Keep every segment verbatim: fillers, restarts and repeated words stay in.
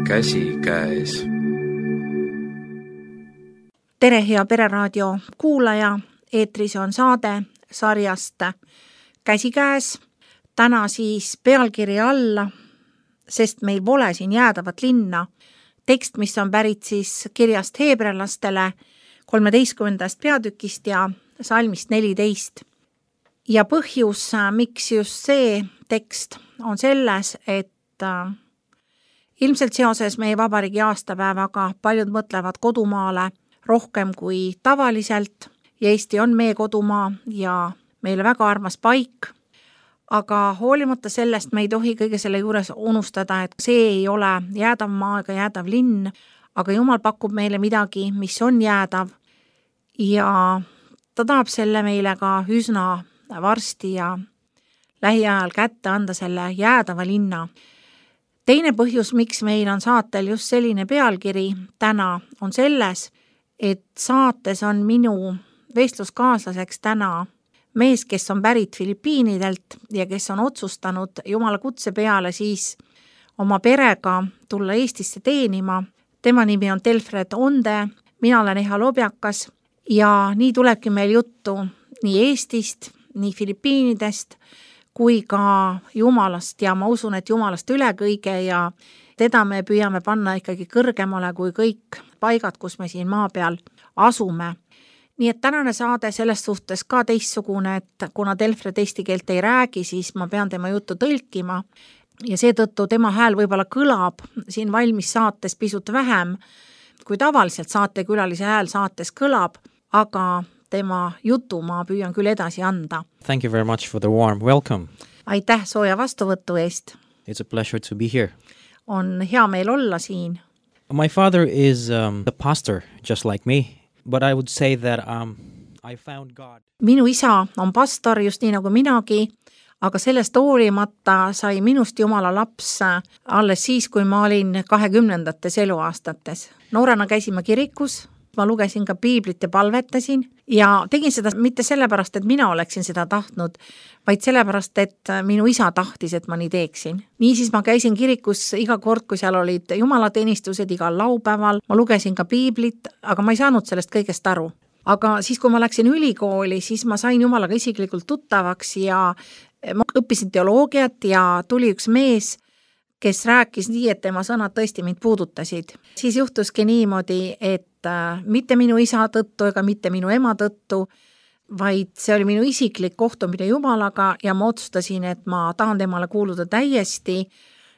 käsikäes. Tere, hea Pereraadio kuulaja, eetris on saade sarjast Käsikäes. Täna siis pealkiri alla, sest meil pole siin jäädavat linna. Tekst, mis on pärit siis kirjast heebrealastele kolmeteistkümnendast peatükist ja salmist neliteist. Ja põhjus, miks just see tekst on selles, et ilmselt seoses meie vabariigi aastapäevaga paljud mõtlevad kodumaale rohkem kui tavaliselt ja Eesti on meie kodumaa ja meile väga armas paik, aga hoolimata sellest me ei tohi kõige selle juures unustada, et see ei ole jäädav maa ega jäädav linn, aga Jumal pakub meile midagi, mis on jäädav ja ta tahab selle meile ka üsna varsti ja lähiajal kätte anda selle jäädava linna. Teine põhjus, miks meil on saatel just selline pealkiri täna, on selles, et saates on minu vestluskaaslaseks täna mees, kes on pärit Filipiinidelt ja kes on otsustanud Jumala kutse peale siis oma perega tulla Eestisse teenima. Tema nimi on Telfred Onde, mina olen Eha Lobjakas ja nii tulebki meil juttu nii Eestist, nii Filipiinidest kui ka Jumalast ja ma usun, et Jumalast üle kõige ja teda me püüame panna ikkagi kõrgemale kui kõik paigad, kus me siin maa peal asume. Nii et tänane saade selles suhtes ka teistsugune, et kuna Telfred eesti keelt ei räägi, siis ma pean tema juttu tõlkima ja seetõttu tema hääl võib-olla kõlab siin valmis saates pisut vähem, kui tavaliselt saatekülalise hääl saates kõlab, aga tema jutu ma püüan küll edasi anda. Thank you very much for the warm welcome. Aitäh sooja vastuvõtu eest. It's a pleasure to be here. On hea meil olla siin. My father is um, a pastor, just like me, but I would say that um, I found God. Minu isa on pastor, just nii nagu minagi, aga sellest hoolimata sai minust Jumala laps alles siis, kui ma olin kahekümnendates eluaastates. Noorena käisime kirikus, ma lugesin ka piiblit ja palvetasin ja tegin seda mitte sellepärast, et mina oleksin seda tahtnud, vaid sellepärast, et minu isa tahtis, et ma nii teeksin. Niisiis ma käisin kirikus iga kord, kui seal olid jumalateenistused igal laupäeval, ma lugesin ka piiblit, aga ma ei saanud sellest kõigest aru. Aga siis, kui ma läksin ülikooli, siis ma sain Jumalaga isiklikult tuttavaks ja ma õppisin teoloogiat ja tuli üks mees, kes rääkis nii, et tema sõnad tõesti mind puudutasid. Siis juhtuski niimoodi, et mitte minu isa tõttu ega mitte minu ema tõttu, vaid see oli minu isiklik kohtumine Jumalaga ja ma otsustasin, et ma tahan temale kuuluda täiesti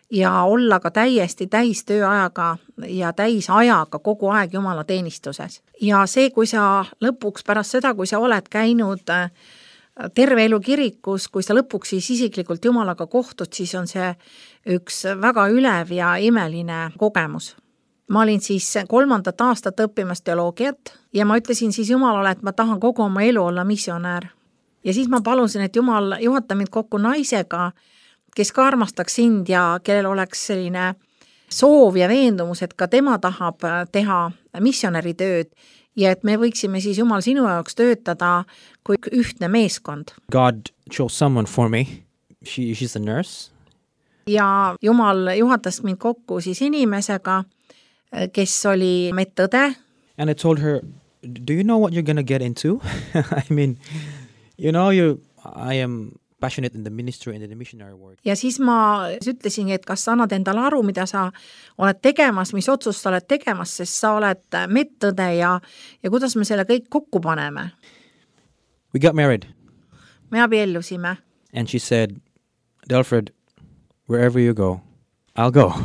ja olla ka täiesti täis tööajaga ja täis ajaga kogu aeg Jumala teenistuses. Ja see, kui sa lõpuks pärast seda, kui sa oled käinud terve elu kirikus, kui sa lõpuks siis isiklikult Jumalaga kohtud, siis on see üks väga ülev ja imeline kogemus. Ma olin siis kolmandat aastat õppimas teoloogiat ja ma ütlesin siis Jumalale, et ma tahan kogu oma elu olla missionäär. Ja siis ma palusin, et Jumal juhata mind kokku naisega, kes ka armastaks sind ja kellel oleks selline soov ja veendumus, et ka tema tahab teha missionäri tööd ja et me võiksime siis Jumal sinu jaoks töötada kui ühtne meeskond. God chose someone for me. She, she's a nurse. Ja Jumal juhatas mind kokku siis inimesega, kes oli medõde. And I told her, do you know what you're going to get into? I mean, you know, you, I am passionate in the ministry and in the missionary work. Ja siis ma ütlesin, et kas sa annad endale aru, mida sa oled tegemas, mis otsust sa oled tegemas, sest sa oled medõde ja, ja kuidas me selle kõik kokku paneme. We got married. Me abiellusime. And she said, Delfred, wherever you go, I'll go.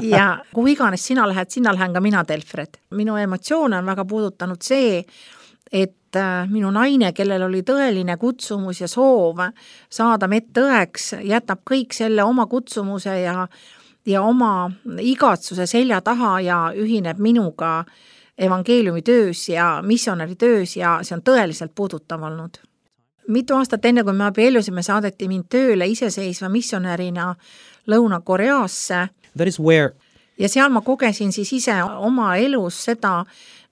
Ja kuhu iganes sina lähed, sinna lähen ka mina, Delfred. Minu emotsioone on väga puudutanud see, et minu naine, kellel oli tõeline kutsumus ja soov saada medõeks, jätab kõik selle oma kutsumuse ja, ja oma igatsuse selja taha ja ühineb minuga evangeeliumi töös ja missionäri töös ja see on tõeliselt puudutav olnud. Mitu aastat enne, kui me abiellusime, saadeti mind tööle iseseisva missionärina Lõuna-Koreasse. That is where... Ja seal ma kogesin siis ise oma elus seda,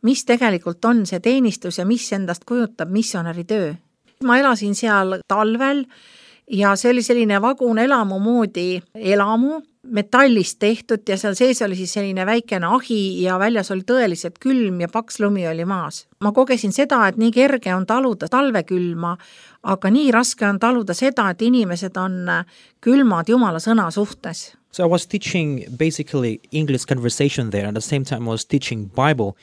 mis tegelikult on see teenistus ja mis endast kujutab missionäri töö. Ma elasin seal talvel ja see oli selline vagun elamu moodi elamu, metallist tehtud ja seal sees oli siis selline väikene ahi ja väljas oli tõeliselt külm ja paks lumi oli maas. Ma kogesin seda, et nii kerge on taluda talvekülma, aga nii raske on taluda seda, et inimesed on külmad Jumala sõna suhtes. So I was teaching basically English conversation there, and at the same time I was teaching Bible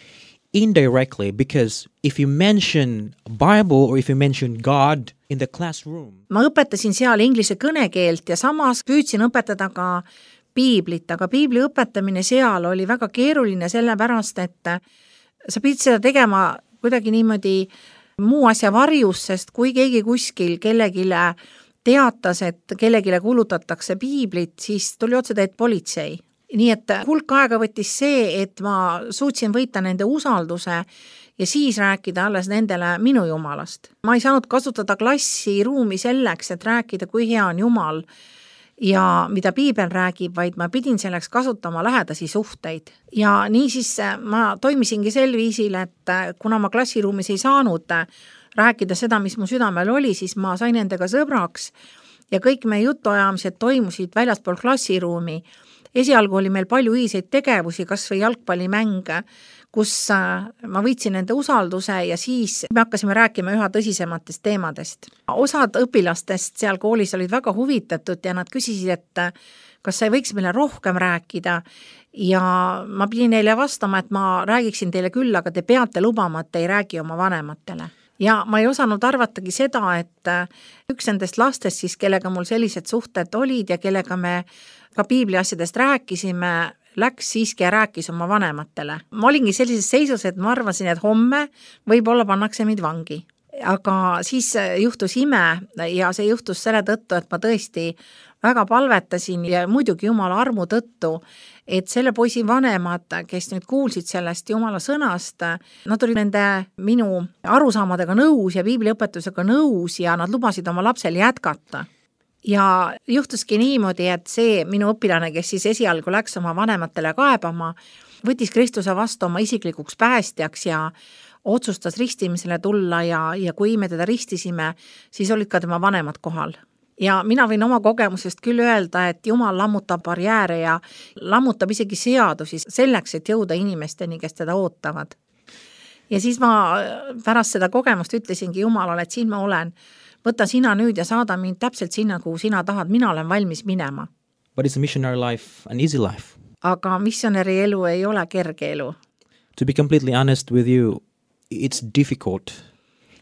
indirectly, because if you mention Bible or if you mention God in the classroom. Ma õpetasin seal inglise kõnekeelt ja samas püüdsin õpetada ka piiblit, aga piibli õpetamine seal oli väga keeruline sellepärast, et sa pidid seda tegema kuidagi niimoodi muu asja varjus, sest kui keegi kuskil kellegile teatas, et kellegile kulutatakse piiblit, siis tuli otse teed politsei. Nii et hulk aega võttis see, et ma suutsin võita nende usalduse ja siis rääkida alles nendele minu Jumalast. Ma ei saanud kasutada klassiruumi selleks, et rääkida, kui hea on Jumal ja mida piibel räägib, vaid ma pidin selleks kasutama lähedasi suhteid. Ja nii siis ma toimisingi sel viisil, et kuna ma klassiruumis ei saanud rääkida seda, mis mu südamel oli, siis ma sain nendega sõbraks ja kõik meie jutuajamised toimusid väljaspool klassiruumi. Esialgu oli meil palju ühiseid tegevusi, kas või jalgpallimäng, kus ma võitsin nende usalduse ja siis me hakkasime rääkima üha tõsisematest teemadest. Osad õpilastest seal koolis olid väga huvitatud ja nad küsisid, et kas sa ei võiks meile rohkem rääkida ja ma pidin neile vastama, et ma räägiksin teile küll, aga te peate lubama, et te ei räägi oma vanematele. Ja ma ei osanud arvatagi seda, et üks nendest lastest siis, kellega mul sellised suhted olid ja kellega me ka piibli asjadest rääkisime, läks siiski ja rääkis oma vanematele. Ma olingi sellises seisus, et ma arvasin, et homme võib-olla pannakse mind vangi. Aga siis juhtus ime ja see juhtus selle tõttu, et ma tõesti väga palvetasin ja muidugi Jumala armu tõttu, et selle poisi vanemad, kes nüüd kuulsid sellest Jumala sõnast, nad olid nende minu arusaamadega nõus ja piibliõpetusega nõus ja nad lubasid oma lapsel jätkata. Ja juhtuski niimoodi, et see minu õpilane, kes siis esialgu läks oma vanematele kaebama, võttis Kristuse vastu oma isiklikuks päästjaks ja otsustas ristimisele tulla ja, ja kui me teda ristisime, siis olid ka tema vanemad kohal. Ja mina võin oma kogemusest küll öelda, et Jumal lammutab barjääre ja lammutab isegi seadusi selleks, et jõuda inimesteni, kes teda ootavad. Ja siis ma pärast seda kogemust ütlesingi Jumalale, et siin ma olen. Võta sina nüüd ja saada mind täpselt sinna, kuhu sina tahad, mina olen valmis minema. But is a missionary life an easy life? Aga missionäri elu ei ole kerge elu. To be completely honest with you, it's difficult,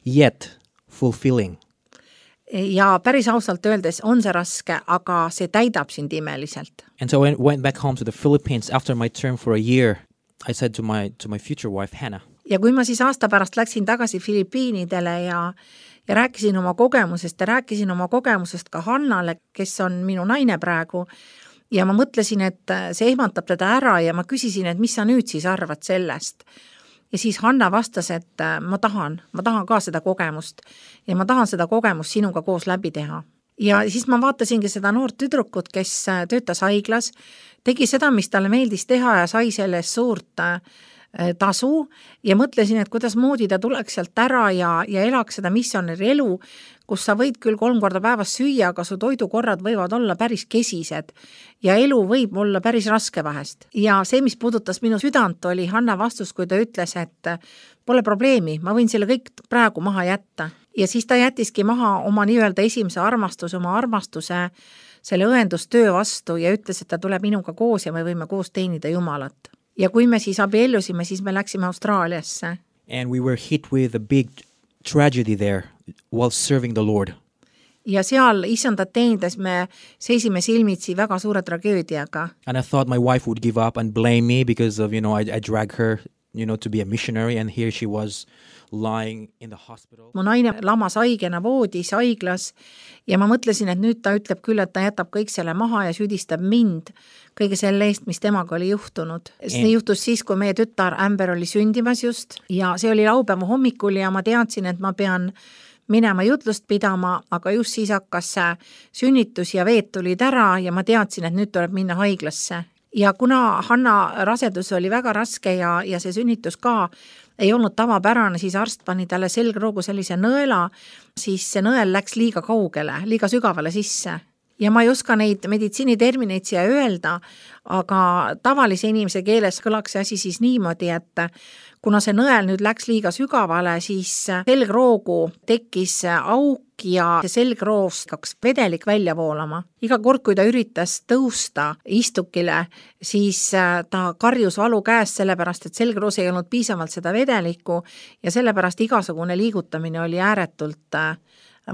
yet fulfilling. Ja päris ausalt öeldes on see raske, aga see täidab sind imeliselt. And so I went back home to the Philippines after my term for a year. I said to my, to my future wife, Hannah. Ja kui ma siis aasta pärast läksin tagasi Filipiinidele ja ja rääkisin oma kogemusest ja rääkisin oma kogemusest ka Hannale, kes on minu naine praegu ja ma mõtlesin, et see ehmatab teda ära ja ma küsisin, et mis sa nüüd siis arvad sellest. Ja siis Hanna vastas, et ma tahan, ma tahan ka seda kogemust ja ma tahan seda kogemust sinuga koos läbi teha. Ja siis ma vaatasingi seda noort tüdrukut, kes töötas haiglas, tegi seda, mis talle meeldis teha ja sai sellest suurt tasu ja mõtlesin, et kuidas moodi ta tuleks sealt ära ja, ja elaks seda missionäri elu, kus sa võid küll kolm korda päevas süüa, aga su toidukorrad võivad olla päris kesised ja elu võib olla päris raske vahest. Ja see, mis puudutas minu südant, oli Hanna vastus, kui ta ütles, et pole probleemi, ma võin selle kõik praegu maha jätta. Ja siis ta jätiski maha oma nii-öelda esimese armastuse, oma armastuse selle õendustöö vastu ja ütles, et ta tuleb minuga koos ja me võime koos teenida Jumalat. Ja kui me siis abiellusime, siis me läksime Austraaliasse. And we were hit with a big tragedy there while serving the Lord. Ja seal isandat teenides me seisime silmitsi väga suure tragöödiaga. And I thought my wife would give up and blame me because of, you know, I, I drag her, you know, to be a missionary and here she was lying in the hospital. Mu naine lamas haigena voodis haiglas ja ma mõtlesin, et nüüd ta ütleb küll, et ta jätab kõik selle maha ja süüdistab mind kõige selle eest, mis temaga oli juhtunud. See juhtus siis, kui meie tütar Amber oli sündimas just ja see oli laupäeva hommikul ja ma teadsin, et ma pean minema jutlust pidama, aga just siis hakkas sünnitus ja veed tulid ära ja ma teadsin, et nüüd tuleb minna haiglasse. Ja kuna Hanna rasedus oli väga raske ja, ja see sünnitus ka, ei olnud tavapärane, siis arst pani talle selgroogu sellise nõela, siis see nõel läks liiga kaugele, liiga sügavale sisse. Ja ma ei oska neid meditsiinitermineid siia öelda, aga tavalise inimese keeles kõlaks see asi siis niimoodi, et kuna see nõel nüüd läks liiga sügavale, siis selgroogu tekkis auk ja selgroovst kaks vedelik välja voolama. Iga kord, kui ta üritas tõusta istukile, siis ta karjus valu käest sellepärast, et selgroos ei olnud piisavalt seda vedelikku ja sellepärast igasugune liigutamine oli ääretult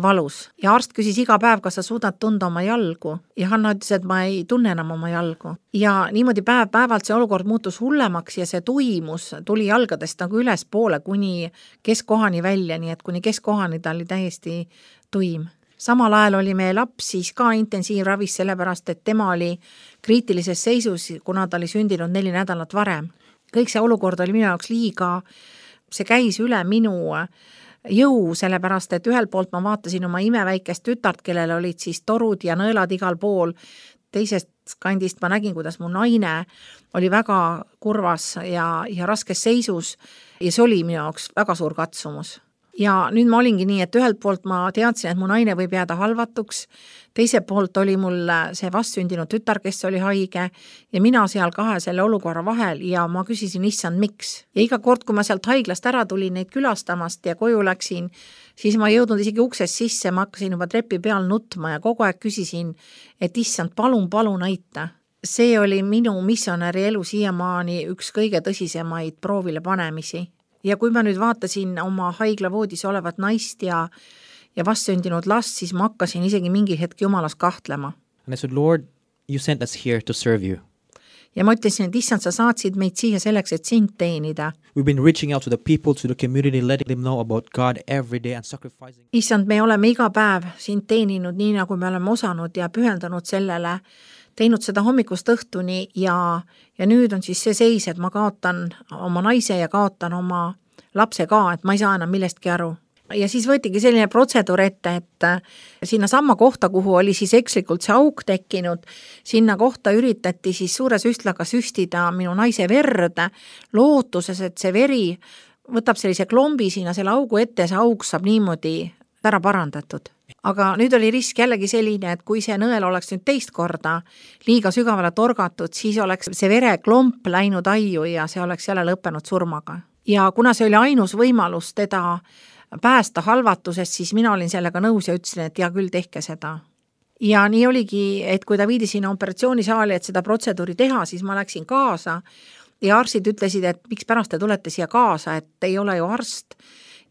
valus. Ja arst küsis iga päev, kas sa suudad tunda oma jalgu. Ja Hanna ütles, et ma ei tunne enam oma jalgu. Ja niimoodi päev päevalt see olukord muutus hullemaks ja see tuimus tuli jalgadest nagu üles poole kuni keskkohani välja, nii et kuni keskkohani ta oli täiesti tuim. Samal ajal oli meie laps siis ka intensiivravis sellepärast, et tema oli kriitilises seisus, kuna ta oli sündinud neli nädalat varem. Kõik see olukord oli minu jaoks liiga, see käis üle minu jõu, sellepärast, et ühel poolt ma vaatasin oma imeväikest tütart, kellel olid siis torud ja nõelad igal pool. Teisest kandist ma nägin, kuidas mu naine oli väga kurvas ja, ja raskes seisus ja see oli minu jaoks väga suur katsumus. Ja nüüd ma olingi nii, et ühelt poolt ma teadsin, et mu naine võib jääda halvatuks, teiselt poolt oli mul see vastsündinud tütar, kes oli haige ja mina seal kahe selle olukorra vahel ja ma küsisin, issand, miks. Ja iga kord, kui ma sealt haiglast ära tulin neid külastamast ja koju läksin, siis ma ei jõudnud isegi uksest sisse, ma hakkasin juba trepi peal nutma ja kogu aeg küsisin, et issand, palun, palun aita. See oli minu missionäri elu siiamaani üks kõige tõsisemaid proovile panemisi. Ja kui ma nüüd vaatasin oma haiglavoodis olevat naist ja, ja vastsündinud last, siis ma hakkasin isegi mingi hetk jumalas kahtlema. And I said, Lord, you sent us here to serve you. Ja ma ütlesin, et issand, sa saatsid meid siia selleks, et sind teenida. We've been reaching out to the people, to the community, letting them know about God every day and sacrificing. Issand, me oleme iga päev sind teeninud nii, nagu me oleme osanud ja pühendanud sellele, teinud seda hommikust õhtuni ja, ja nüüd on siis see seis, et ma kaotan oma naise ja kaotan oma lapse ka, et ma ei saa enam millestki aru. Ja siis võetigi selline protseduur ette, et sinna samma kohta, kuhu oli siis ekslikult see auk tekkinud, sinna kohta üritati siis suure süstlaga süstida minu naise verd, lootuses, et see veri võtab sellise klombi sinna selle augu ette, see auk saab niimoodi ära parandatud. Aga nüüd oli risk jällegi selline, et kui see nõel oleks nüüd teist korda liiga sügavale torgatud, siis oleks see vereklomp läinud aiu ja see oleks jälle lõppenud surmaga. Ja kuna see oli ainus võimalus teda päästa halvatusest, siis mina olin sellega nõus ja ütlesin, et ja küll tehke seda. Ja nii oligi, et kui ta viidi sinna operatsioonisaali, et seda protseduuri teha, siis ma läksin kaasa ja arstid ütlesid, et miks pärast te tulete siia kaasa, et ei ole ju arst.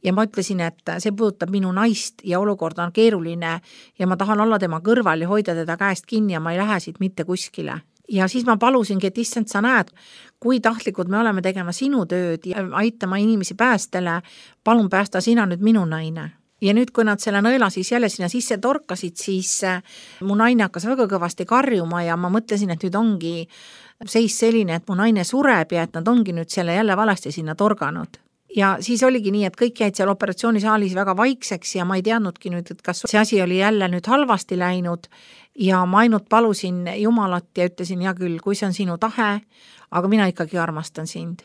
Ja ma ütlesin, et see puudutab minu naist ja olukord on keeruline ja ma tahan olla tema kõrval ja hoida teda käest kinni ja ma ei lähe siit mitte kuskile. Ja siis ma palusingi, et issand, sa näed, kui tahtlikud me oleme tegema sinu tööd ja aitama inimesi päästele, palun päästa sina nüüd minu naine. Ja nüüd, kui nad selle nõela siis jälle sinna sisse torkasid, siis mu naine hakkas väga kõvasti karjuma ja ma mõtlesin, et nüüd ongi seis selline, et mu naine sureb ja et nad ongi nüüd selle jälle valesti sinna torganud. Ja siis oligi nii, et kõik jäid seal operatsioonisaalis väga vaikseks ja ma ei teadnudki nüüd, et kas see asi oli jälle nüüd halvasti läinud ja ma ainult palusin Jumalat ja ütlesin, ja küll, kui see on sinu tahe, aga mina ikkagi armastan sind.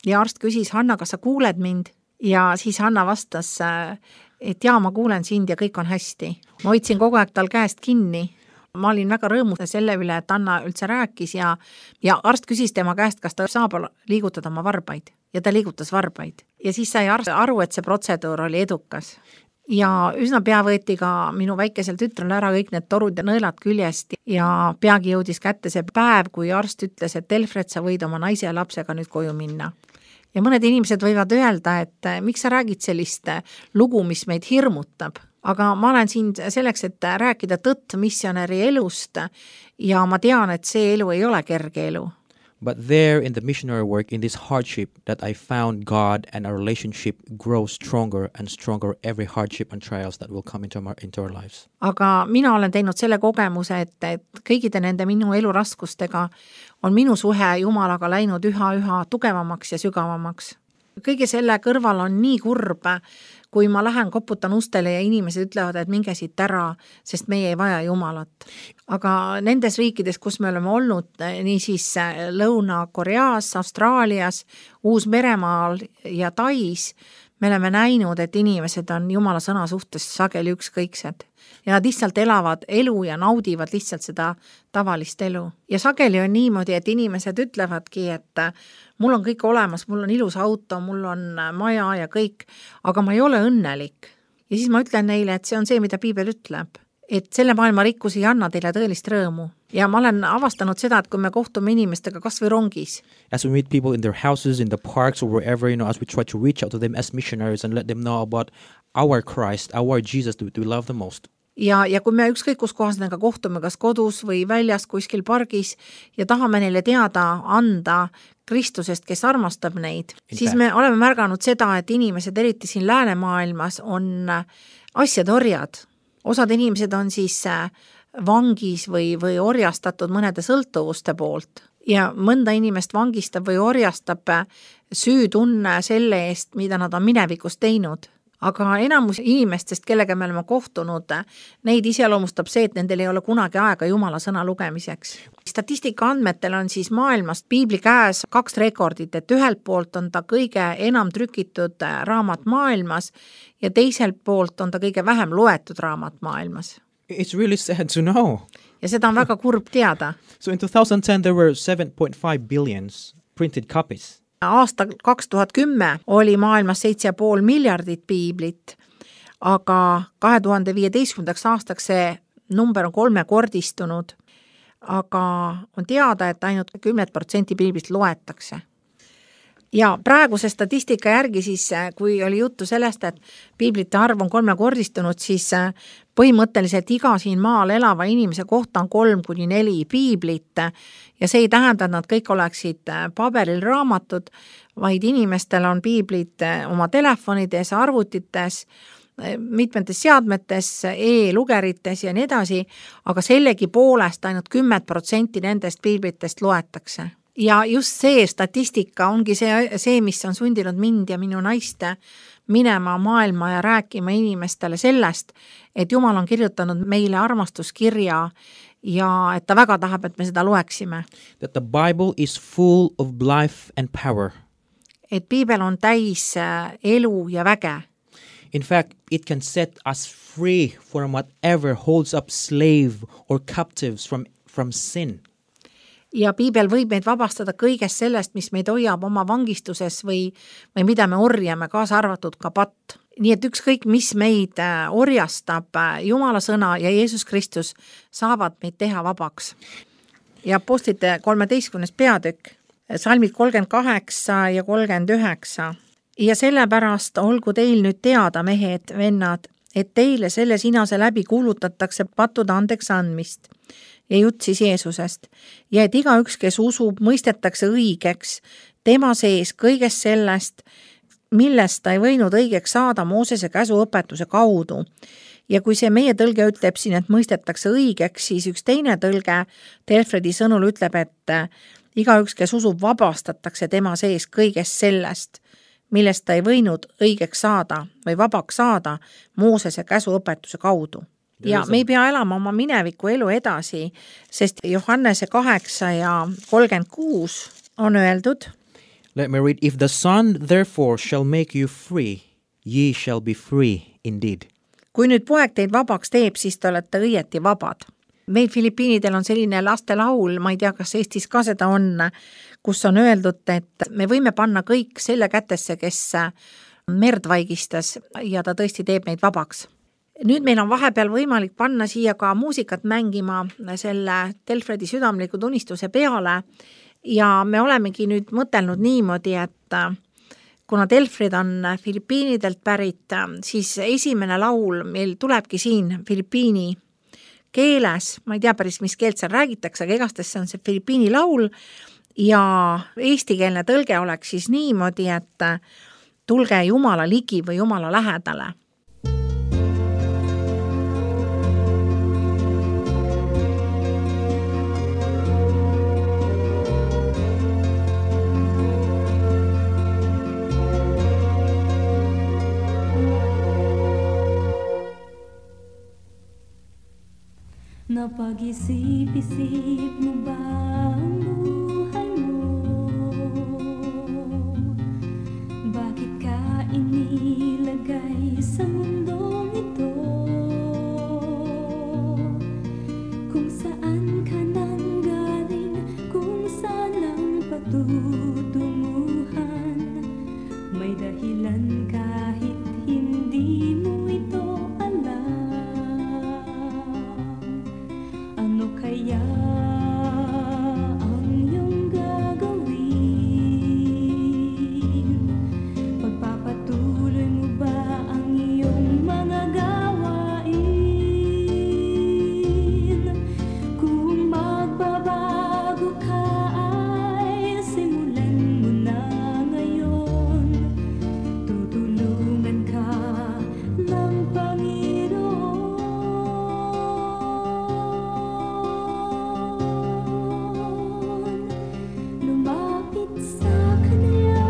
Ja arst küsis, Hanna, kas sa kuuled mind? Ja siis Hanna vastas, et jaa, ma kuulen sind ja kõik on hästi. Ma hoidsin kogu aeg tal käest kinni. Ma olin väga rõõmus selle üle, et Anna üldse rääkis ja, ja arst küsis tema käest, kas ta saab liigutada oma varbaid. Ja ta liigutas varbaid. Ja siis sai arst aru, et see protseduur oli edukas. Ja üsna pea võeti ka minu väikesel tütrel ära kõik need torud ja nõelad küljest ja peagi jõudis kätte see päev, kui arst ütles, et Elfred, sa võid oma naise ja lapsega nüüd koju minna. Ja mõned inimesed võivad öelda, et miks sa räägid sellist lugu, mis meid hirmutab. Aga ma olen siin selleks, et rääkida tõtt missionäri elust ja ma tean, et see elu ei ole kerge elu. But there in the missionary work, in this hardship, that I found God and our relationship grow stronger and stronger every hardship and trials that will come into our, into our lives. Aga mina olen teinud selle kogemuse, et, et kõigide nende minu eluraskustega on minu suhe Jumalaga läinud üha-üha tugevamaks ja sügavamaks. Kõige selle kõrval on nii kurb, kui ma lähen koputan ustele ja inimesed ütlevad, et minge siit ära, sest meie ei vaja Jumalat. Aga nendes riikides, kus me oleme olnud, nii siis Lõuna-Koreas, Austraalias, Uus-Meremaal ja Tais, me oleme näinud, et inimesed on Jumala sõna suhtes sageli ükskõiksed. Ja nad lihtsalt elavad elu ja naudivad lihtsalt seda tavalist elu. Ja sageli on niimoodi, et inimesed ütlevadki, et mul on kõik olemas, mul on ilus auto, mul on maja ja kõik, aga ma ei ole õnnelik. Ja siis ma ütlen neile, et see on see, mida Piibel ütleb. Et selle maailma rikkus ei anna teile tõelist rõõmu. Ja ma olen avastanud seda, et kui me kohtume inimestega kas või rongis. As we meet people in their houses, in the parks or wherever, you know, as we try to reach out to them as missionaries and let them know about our Christ, our Jesus that we love the most. Ja, ja kui me ükskõik kus kohas nendega kohtume, kas kodus või väljas kuskil pargis ja tahame neile teada anda Kristusest, kes armastab neid, in siis fact. Me oleme märganud seda, et inimesed, eriti siin läänemaailmas, on asjad orjad. Osad inimesed on siis vangis või, või orjastatud mõnede sõltuvuste poolt ja mõnda inimest vangistab või orjastab süütunne selle eest, mida nad on minevikus teinud. Aga enamus inimestest, kellega me oleme kohtunud, neid iseloomustab see, et nendel ei ole kunagi aega Jumala sõna lugemiseks. Statistika andmetel on siis maailmast Piibli käes kaks rekordit, et ühelt poolt on ta kõige enam trükitud raamat maailmas ja teiselt poolt on ta kõige vähem loetud raamat maailmas. It's really sad to know. Ja seda on väga kurb teada. So in two thousand ten there were seven point five billions printed copies. Aasta kaks tuhat kümme oli maailmas seitse ja pool miljardit piiblit, aga kahe tuhande viieteistkümnendaks aastaks see number on kolmekordistunud, aga on teada, et ainult kümme protsenti piiblist loetakse. Ja praeguse statistika järgi siis, kui oli juttu sellest, et piiblite arv on kolmekordistunud, siis põhimõtteliselt iga siin maal elava inimese kohta on kolm kuni neli piiblit ja see ei tähenda, et nad kõik oleksid paberil raamatud, vaid inimestel on piiblid oma telefonides, arvutites, mitmetes seadmetes, e-lugerites ja nii edasi, aga sellegi poolest ainult kümme protsenti nendest piiblitest loetakse. Ja just see statistika ongi see, see, mis on sundinud mind ja minu naiste minema maailma ja rääkima inimestele sellest, et Jumal on kirjutanud meile armastuskirja ja et ta väga tahab, et me seda loeksime. That the Bible is full of life and power. Et Piibel on täis elu ja väge. In fact, it can set us free from whatever holds up slave or captives from, from sin. Ja Piibel võib meid vabastada kõigest sellest, mis meid hoiab oma vangistuses või, või mida me orjame, kaasa arvatud ka patt. Nii et ükskõik, mis meid orjastab, Jumala sõna ja Jeesus Kristus saavad meid teha vabaks. Ja apostlite kolmeteistkümnes peatükk, salmid kolmkümmend kaheksa ja kolmkümmend üheksa. Ja sellepärast olgu teil nüüd teada, mehed, vennad, et teile selle sinase läbi kuulutatakse pattude andeks andmist ja jutt siis Jeesusest. Ja et igaüks, kes usub, mõistetakse õigeks tema sees kõigest sellest, millest ta ei võinud õigeks saada Moosese käsuõpetuse kaudu. Ja kui see meie tõlge ütleb siin, et mõistetakse õigeks, siis üks teine tõlge Telfredi sõnul ütleb, et igaüks, kes usub, vabastatakse tema sees kõigest sellest, millest ta ei võinud õigeks saada või vabaks saada Moosese käsuõpetuse kaudu. Ja me ei pea elama oma mineviku elu edasi, sest Johannese kaheksa ja kolmkümmend kuus on öeldud. Let me read. If the Son therefore shall make you free, ye shall be free indeed. Kui nüüd poeg teid vabaks teeb, siis te olete õieti vabad. Meil Filipiinidel on selline lastelaul, ma ei tea, kas Eestis ka seda on, kus on öeldud, et me võime panna kõik selle kätesse, kes merd vaigistas ja ta tõesti teeb meid vabaks. Nüüd meil on vahepeal võimalik panna siia ka muusikat mängima selle Telfredi südamliku tunistuse peale ja me olemegi nüüd mõtelnud niimoodi, et kuna Telfred on Filipiinidelt pärit, siis esimene laul meil tulebki siin Filipiini keeles, ma ei tea päris, mis keelt seal räägitakse, aga igastes see on see Filipiini laul ja eestikeelne tõlge oleks siis niimoodi, et tulge Jumala ligi või Jumala lähedale. Napag-isip-isip mo ba ang buhay mo? Bakit ka inilagay sa mundong ito? Kung saan ka nang galing, kung saan ang patutunguhan, may dahilan kahit hindi mo ito alam. Ano kaya ang iyong gagawin? Pagpapatuloy mo ba ang iyong mga gawain? Kung magbabago ka ay simulan mo na ngayon. Tutulungan ka ng Panginoon. Lumapit sa Kanya,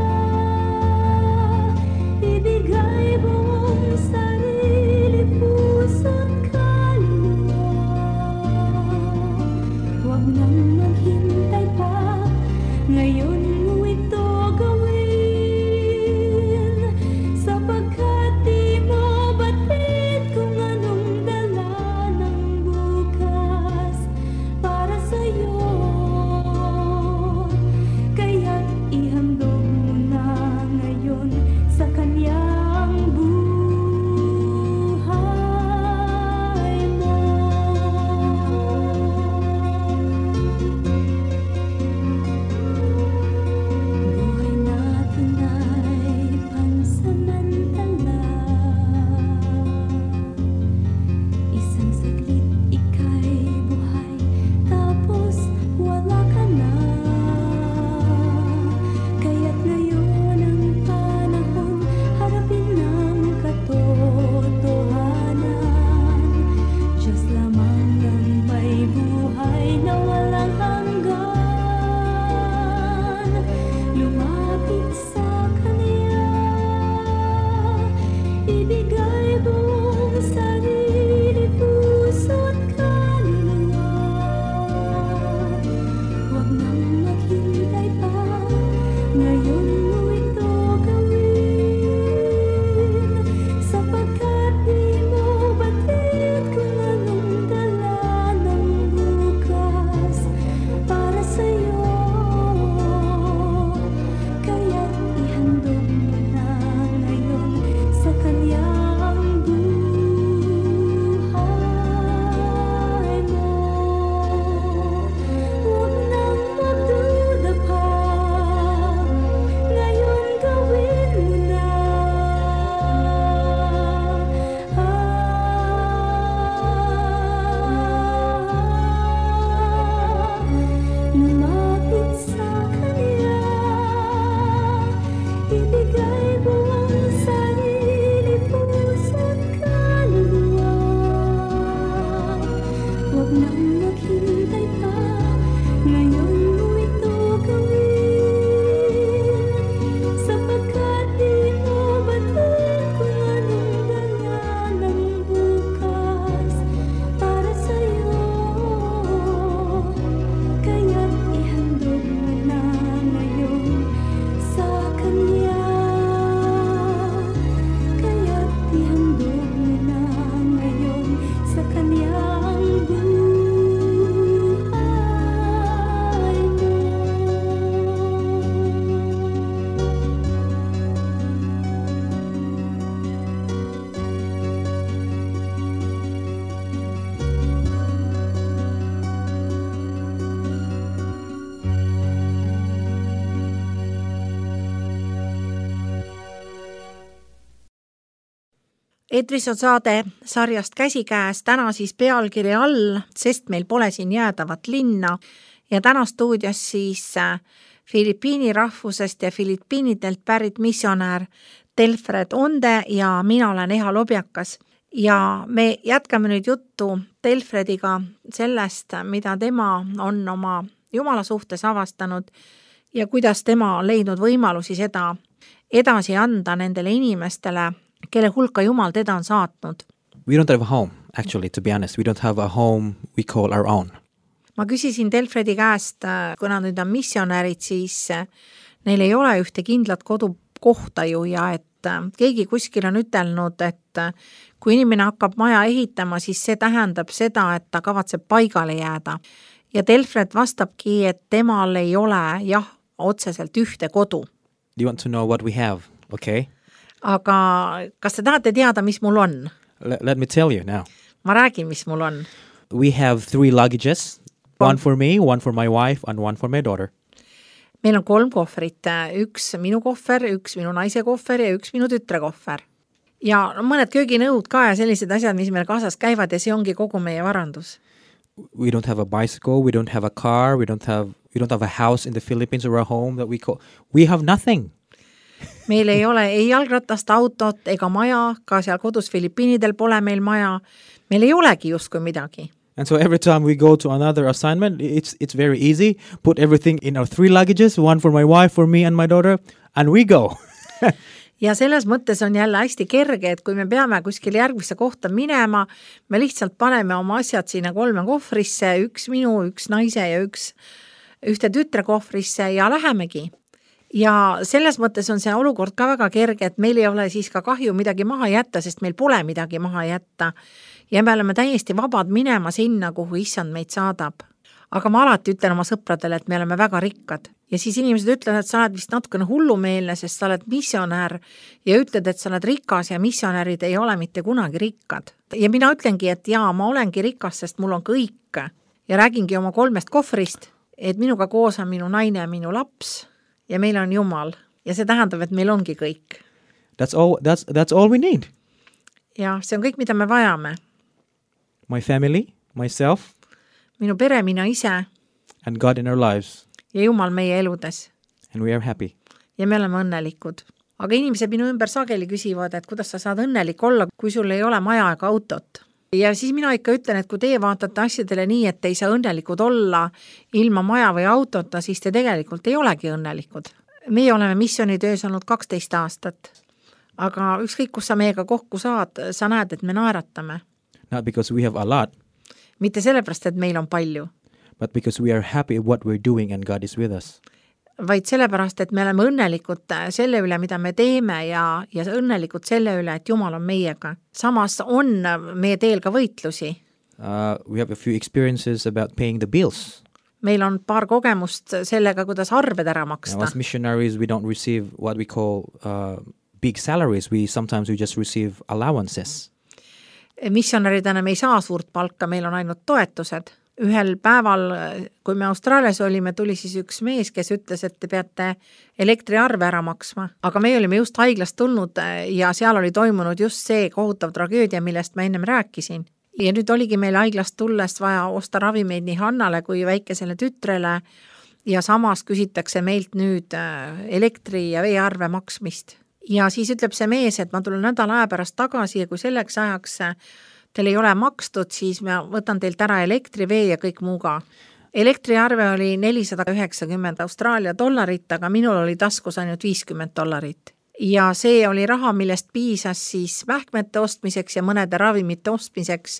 ibigay buong sarili, puso't kaluluwa. Huwag nang maghintay pa, ngayon mo ito gawin, sapagkat di mo batid kung anong dala ng bukas para sa'yo. Kaya't ihandog mo na ngayon sa Kanyang buhay mo. Buhay natin ay pansamantala. Isang saglit ika'y buhay, tapos wala ka na. Kaya't ngayon ang panahon, harapin ang katotohanan. Diyos lamang ang may buhay na walang hanggan. Lumapit sa Kanya, ibigay buong sarili, puso't kaluluwa. Huwag nang maghintay pa, ngayon mo ito gawin, sapagkat di mo batid kung anong dala ng bukas para sa'yo. Kaya't ihandog mo na ngayon sa Kanyang buhay mo. Huwag nang magduda pa, ngayon gawin mo na. Lumapit sa Kanya, ibigay buong sarili, puso't kaluluwa. Huwag nang maghintay pa, ngayon mo ito gawin, sapagkat di mo batid kung anong dala ng bukas para sa'yo. Kaya't ihandog mo na ngayon sa Kanya. Kaya't ihandog mo na ngayon sa Kanyang buhay mo. Eetris on saade sarjast Käsikäes, täna siis pealkiri all, sest meil pole siin jäädavat linna, ja täna stuudios siis äh, Filipiini rahvusest ja Filipiinidelt pärit missionär Telfred Onde ja mina olen Eha Lobjakas. Ja me jätkame nüüd juttu Telfrediga sellest, mida tema on oma Jumala suhtes avastanud ja kuidas tema on leidnud võimalusi seda edasi anda nendele inimestele, kelle hulka Jumal teda on saatnud. We don't have a home, actually, to be honest. We don't have a home we call our own. Ma küsisin Delfredi käest, kuna nüüd on missionärid, siis neil ei ole ühte kindlat kodukohta ju ja et keegi kuskil on ütelnud, et kui inimene hakkab maja ehitama, siis see tähendab seda, et ta kavatseb paigale jääda. Ja Delfred vastabki, et temal ei ole jah, otseselt ühte kodu. Do you want to know what we have? Okay. Aga kas te tahate teada, mis mul on? L- let me tell you now. Ma räägin, mis mul on. We have three luggages. One for me, one for my wife, and one for my daughter. Meil on kolm kohvrit. Üks minu kohver, üks minu naise kohver ja üks minu tütre kohver. Ja mõned kööginõud ka ja sellised asjad, mis meil kaasas käivad ja see ongi kogu meie varandus. We don't have a bicycle, we don't have a car, we don't have we don't have a house in the Philippines or a home that we call. We have nothing. Meil ei ole ei jalgratast, autot ega maja, ka seal kodus Filipiinidel pole meil maja. Meil ei olegi justkui midagi. And so every time we go to another assignment, it's it's very easy. Put everything in our three luggages, one for my wife, for me and my daughter, and we go. Ja selles mõttes on jälle hästi kerge, et kui me peame kuskil järgmisse kohta minema, me lihtsalt paneme oma asjad sinna kolme kohvrisse, üks minu, üks naise ja üks ühte tütre kohvrisse ja lähemegi. Ja selles mõttes on see olukord ka väga kerge, et meil ei ole siis ka kahju midagi maha jätta, sest meil pole midagi maha jätta. Ja me oleme täiesti vabad minema sinna, kuhu issand meid saadab. Aga ma alati ütlen oma sõpradele, et me oleme väga rikkad. Ja siis inimesed ütlevad, et sa oled vist natukene hullumeelne, sest sa oled missionär ja ütled, et sa oled rikas ja missionärid ei ole mitte kunagi rikkad. Ja mina ütlengi, et jaa, ma olengi rikas, sest mul on kõik. Ja räägingi oma kolmest kohvrist, et minuga koos on minu naine ja minu laps ja meil on Jumal. Ja see tähendab, et meil ongi kõik. That's all, that's, that's all we need. Ja see on kõik, mida me vajame. My family, myself, minu pere, mina ise and God in our lives. Ja Jumal meie eludes. And we are happy. Ja me oleme õnnelikud. Aga inimesed minu ümber sageli küsivad, et kuidas sa saad õnnelik olla, kui sul ei ole maja ega autot. Ja siis mina ikka ütlen, et kui teie vaatate asjadele nii, et ei saa õnnelikud olla ilma maja või autota, siis te tegelikult ei olegi õnnelikud. Meie oleme missionitöös olnud kaksteist aastat. Aga ükskõik, kus sa meiega kokku saad, sa näed, et me naeratame. Not because we have a lot. Mitte sellepärast, et meil on palju. But because we are happy what we're doing and God is with us. Vaid sellepärast, et me oleme õnnelikud selle üle, mida me teeme ja, ja õnnelikud selle üle, et Jumal on meiega. Samas on meie teel ka võitlusi. Uh, we have a few experiences about paying the bills. Meil on paar kogemust sellega, kuidas arved ära maksta. Now, as missionaries, we don't receive what we call uh, big salaries. We sometimes we just receive allowances. Missionaridena me ei saa suurt palka, meil on ainult toetused. Ühel päeval, kui me Austraalias olime, tuli siis üks mees, kes ütles, et te peate elektriarve ära maksma. Aga me olime just haiglast tulnud ja seal oli toimunud just see kohutav tragöödia, millest ma ennem rääkisin. Ja nüüd oligi meil haiglast tulles vaja osta ravimeid nii Hannale kui väikesele tütrele ja samas küsitakse meilt nüüd elektri- ja veearve maksmist. Ja siis ütleb see mees, et ma tulen nädala aja pärast tagasi ja kui selleks ajaks teil ei ole makstud, siis ma võtan teilt ära elektri, vee ja kõik muuga. Elektriarve oli nelisada üheksakümmend Austraalia dollarit, aga minul oli taskus ainult viiskümmend dollarit. Ja see oli raha, millest piisas siis vähkmete ostmiseks ja mõnede ravimite ostmiseks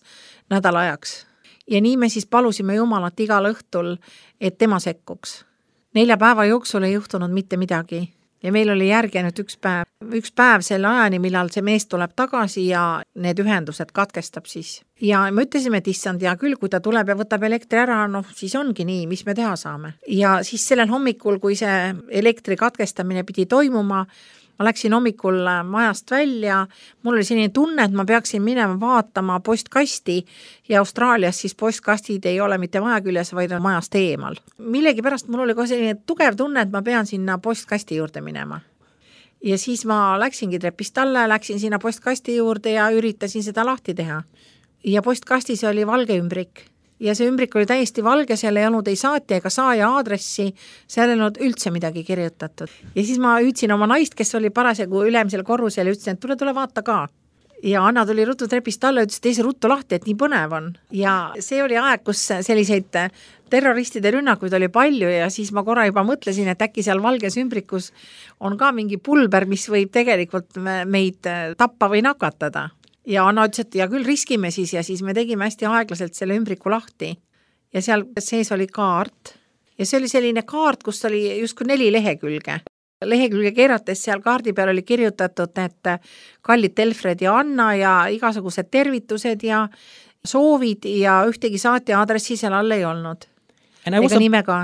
nädala ajaks. Ja nii me siis palusime Jumalat igal õhtul, et tema sekkuks. Nelja päeva jooksul ei juhtunud mitte midagi. Ja meil oli järgenud üks päev, üks päev selle ajani, millal see mees tuleb tagasi ja need ühendused katkestab siis. Ja me ütlesime, et issand, ja küll, kui ta tuleb ja võtab elektri ära, noh, siis ongi nii, mis me teha saame. Ja siis sellel hommikul, kui see elektri katkestamine pidi toimuma, ma läksin hommikul majast välja, mul oli selline tunne, et ma peaksin minema vaatama postkasti ja Austraalias siis postkastid ei ole mitte maja küljes, vaid on majast eemal. Millegi pärast mul oli ka selline tugev tunne, et ma pean sinna postkasti juurde minema. Ja siis ma läksingi trepist alla, läksin sinna postkasti juurde ja üritasin seda lahti teha. Ja postkastis oli valge ümbrik. Ja see ümbrik oli täiesti valge, seal ei olnud ei saatja ega saaja aadressi, seal ei olnud üldse midagi kirjutatud. Ja siis ma hüüdsin oma naist, kes oli parasjagu ülemisel korrusel ja ütlesin, et tule, tule vaata ka. Ja Anna tuli ruttu trepist alla ja ütles, et teise ruttu lahti, et nii põnev on. Ja see oli aeg, kus selliseid terroristide rünnakuid oli palju ja siis ma korra juba mõtlesin, et äkki seal valges ümbrikus on ka mingi pulber, mis võib tegelikult meid tappa või nakatada. Ja Anna ütles, et ja küll riskime siis ja siis me tegime hästi aeglaselt selle ümbriku lahti. Ja seal sees oli kaart. Ja see oli selline kaart, kus oli justkui neli lehekülge. Lehekülge keerates seal kaardi peal oli kirjutatud need kallid Telfred ja Anna ja igasugused tervitused ja soovid ja ühtegi saatja aadressi seal all ei olnud. Ega a... nimega.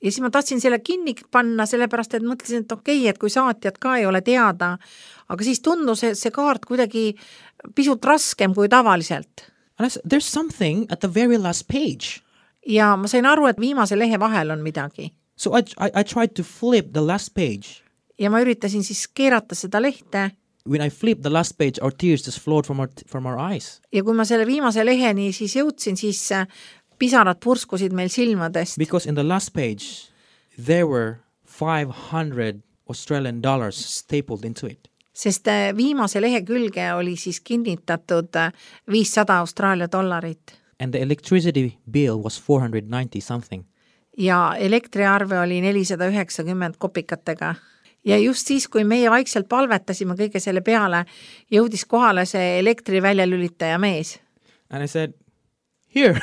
Ja siis ma tahtsin selle kinni panna, sellepärast, et mõtlesin, et okei, okay, et kui saatjad ka ei ole teada, aga siis tundus see kaart kuidagi pisut raskem kui tavaliselt. There's something at the very last page. Ja ma sain aru, et viimase lehe vahel on midagi. So I, I, I tried to flip the last page. Ja ma üritasin siis keerata seda lehte. When I flipped the last page, our tears just flowed from our, from our eyes. Ja kui ma selle viimase leheni siis jõudsin, siis pisarad purskusid meil silmadest. Because in the last page, there were five hundred Australian dollars stapled into it. Sest viimase lehe külge oli siis kinnitatud viissada Austraalia dollarit. And the electricity bill was four hundred ninety something. Ja elektriarve oli nelisada üheksakümmend kopikatega. Ja just siis, kui meie vaikselt palvetasime kõige selle peale, jõudis kohale see elektri väljalülitaja mees. And I said, here.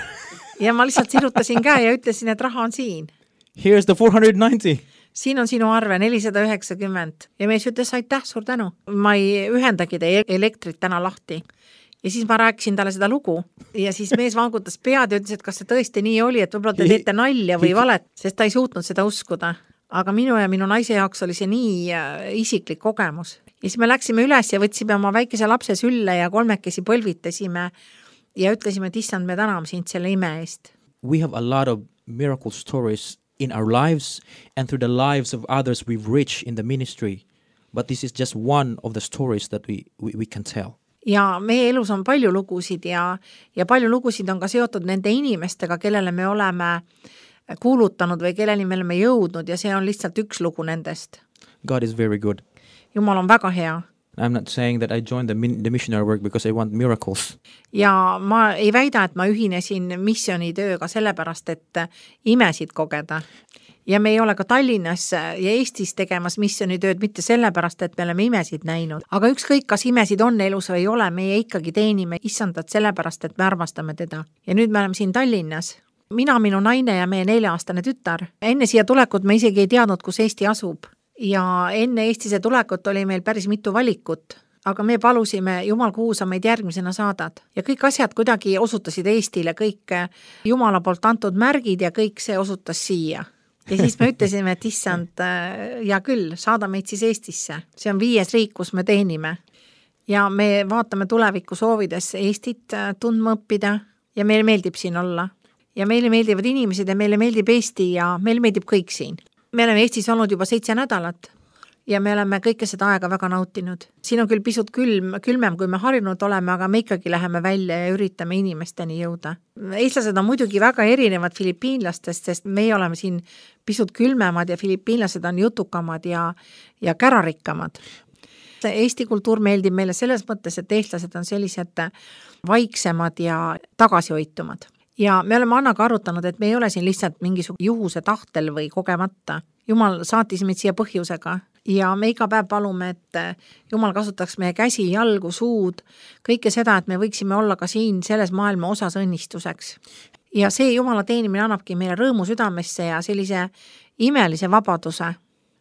Ja ma lihtsalt sirutasin käe ja ütlesin, et raha on siin. Here's the four hundred ninety. Siin on sinu arve nelisada üheksakümmend. Ja mees ütles, aitäh, suur tänu. Ma ei ühendagi teie elektrit täna lahti. Ja siis ma rääkisin talle seda lugu. Ja siis mees vangutas pead ja ütles, et kas see tõesti nii oli, et võib-olla te teete nalja või valet, sest ta ei suutnud seda uskuda. Aga minu ja minu naise jaoks oli see nii isiklik kogemus. Ja siis me läksime üles ja võtsime oma väikese lapse sülle ja kolmekesi põlvitasime ja ütlesime, et issand, me täname sind selle ime eest. We have a lot of miracle stories in our lives and through the lives of others we've reached in the ministry. But this is just one of the stories that we, we, we can tell. Ja meie elus on palju lugusid ja, ja palju lugusid on ka seotud nende inimestega, kellele me oleme kuulutanud või kelleni me oleme jõudnud ja see on lihtsalt üks lugu nendest. God is very good. Jumal on väga hea. I'm not saying that I joined the, the missionary work because I want miracles. Ja ma ei väida, et ma ühinesin missionitööga sellepärast, et imesid kogeda. Ja me ei ole ka Tallinnas ja Eestis tegemas missionitööd mitte sellepärast, et me oleme imesid näinud. Aga ükskõik, kas imesid on elus või ei ole, meie ikkagi teenime issandat sellepärast, et me armastame teda. Ja nüüd me oleme siin Tallinnas. Mina, minu naine ja meie nelja-aastane tütar. Enne siia tulekut me isegi ei teadnud, kus Eesti asub. Ja enne Eestise tulekut oli meil päris mitu valikut. Aga me palusime, Jumal, kuhu sa meid järgmisena saadad. Ja kõik asjad kuidagi osutasid Eestile, kõik Jumala poolt antud märgid ja kõik see osutas siia. Ja siis me ütlesime, et issand, ja küll, saada meid siis Eestisse. See on viies riik, kus me teenime. Ja me vaatame tuleviku soovides Eestit tundma õppida ja meile meeldib siin olla. Ja meile meeldivad inimesed ja meile meeldib Eesti ja meile meeldib kõik siin. Me oleme Eestis olnud juba seitse nädalat ja me oleme kõike seda aega väga nautinud. Siin on küll pisut külm, külmem, kui me harinud oleme, aga me ikkagi läheme välja ja üritame inimesteni jõuda. Eestlased on muidugi väga erinevad filipiinlastest, sest meie oleme siin pisut külmemad ja filipiinlased on jutukamad ja, ja kärarikkamad. Eesti kultuur meeldib meile selles mõttes, et eestlased on sellised vaiksemad ja tagasihoitumad. Ja me oleme Annaga arutanud, et me ei ole siin lihtsalt mingisugune juhuse tahtel või kogemata. Jumal saatis meid siia põhjusega ja me iga päev palume, et Jumal kasutaks meie käsi, jalgu, suud, kõike seda, et me võiksime olla ka siin selles maailma osas õnnistuseks. Ja see Jumala teenimine annabki meile rõõmu südamesse ja sellise imelise vabaduse.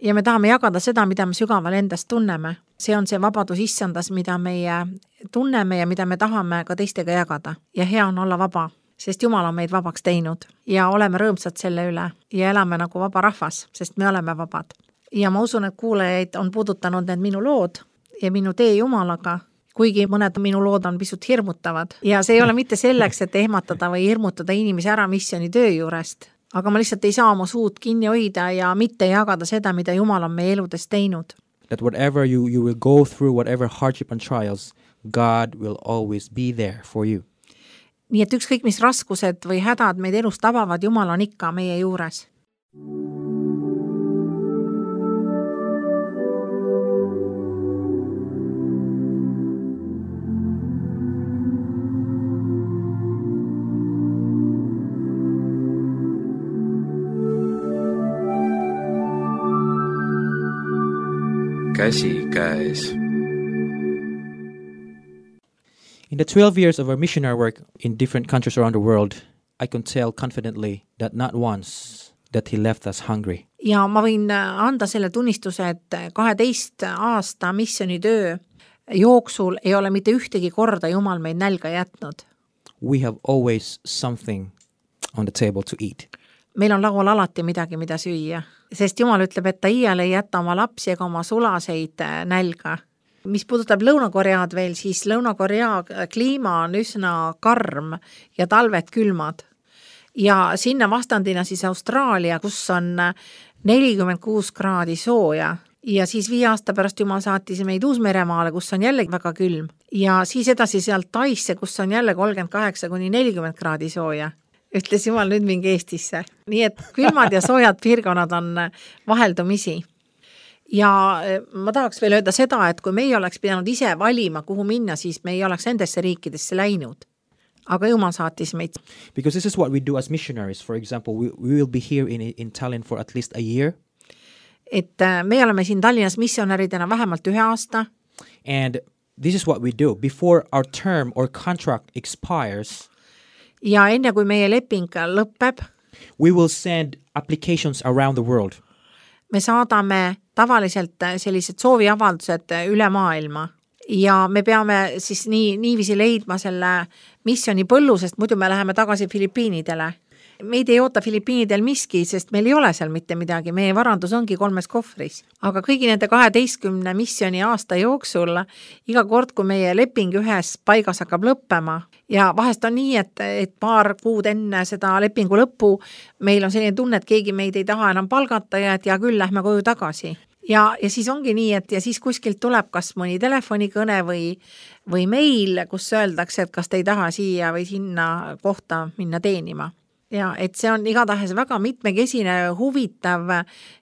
Ja me tahame jagada seda, mida me sügaval endast tunneme. See on see vabadus issandas, mida meie tunneme ja mida me tahame ka teistega jagada. Ja hea on olla vaba. Sest Jumal on meid vabaks teinud ja oleme rõõmsad selle üle ja elame nagu vaba rahvas, sest me oleme vabad. Ja ma usun, et kuulajaid on puudutanud need minu lood ja minu tee Jumalaga, kuigi mõned minu lood on pisut hirmutavad. Ja see ei ole mitte selleks, et ehmatada või hirmutada inimesi ära missioni töö juurest, aga ma lihtsalt ei saa oma suud kinni hoida ja mitte jagada seda, mida Jumal on meie eludes teinud. That whatever you, you will go through, whatever hardship and trials, God will always be there for you. Nii et ükskõik mis raskused või hädad meid elus tabavad, Jumal on ikka meie juures. Käsi käes. In the twelve years of our missionary work in different countries around the world, I can tell confidently that not once that he left us hungry. Ja ma võin anda selle tunnistuse, et kaheteist aasta missionitöö jooksul ei ole mitte ühtegi korda Jumal meid nälga jätnud. We have always something on the table to eat. Meil on laual alati midagi, mida süüa, sest Jumal ütleb, et ta iial ei jäta oma lapsi ega oma sulaseid nälga. Mis puudutab Lõuna-Koread veel, siis Lõuna-Korea kliima on üsna karm ja talved külmad. Ja sinna vastandina siis Austraalia, kus on nelikümmend kuus kraadi sooja. Ja siis viie aasta pärast Jumal saatis meid Uus-Meremaale, kus on jälle väga külm. Ja siis edasi sealt Taisse, kus on jälle kolmkümmend kaheksa kuni nelikümmend kraadi sooja. Ütles Jumal, nüüd mingi Eestisse. Nii et külmad ja soojad piirkonnad on vaheldumisi. Ja ma tahaks veel öelda seda, et kui meie oleks pidanud ise valima, kuhu minna, siis me ei oleks endesse riikidesse läinud. Aga Jumal saatis meid. Because this is what we do as missionaries. For example, we, we will be here in, in Tallinn for at least a year. Et me oleme siin Tallinnas missionäridena vähemalt ühe aasta. And this is what we do. Before our term or contract expires, ja enne kui meie leping lõpeb, we will send applications around the world. Me saadame tavaliselt sellised sooviavaldused üle maailma ja me peame siis nii, niiviisi leidma selle missioni põllu, sest muidu me läheme tagasi Filipiinidele. Meid ei oota Filipiinidel miski, sest meil ei ole seal mitte midagi. Meie varandus ongi kolmes kohvris. Aga kõigi nende kaheteistkümne missioni aasta jooksul, iga kord, kui meie leping ühes paigas hakkab lõppema, ja vahest on nii, et, et paar kuud enne seda lepingu lõppu meil on selline tunne, et keegi meid ei taha enam palgata ja et ja küll lähme koju tagasi. Ja, ja siis ongi nii, et ja siis kuskilt tuleb kas mõni telefonikõne või, või meil, kus öeldakse, et kas te ei taha siia või sinna kohta minna teenima. Ja et see on igatahes väga mitmekesine, huvitav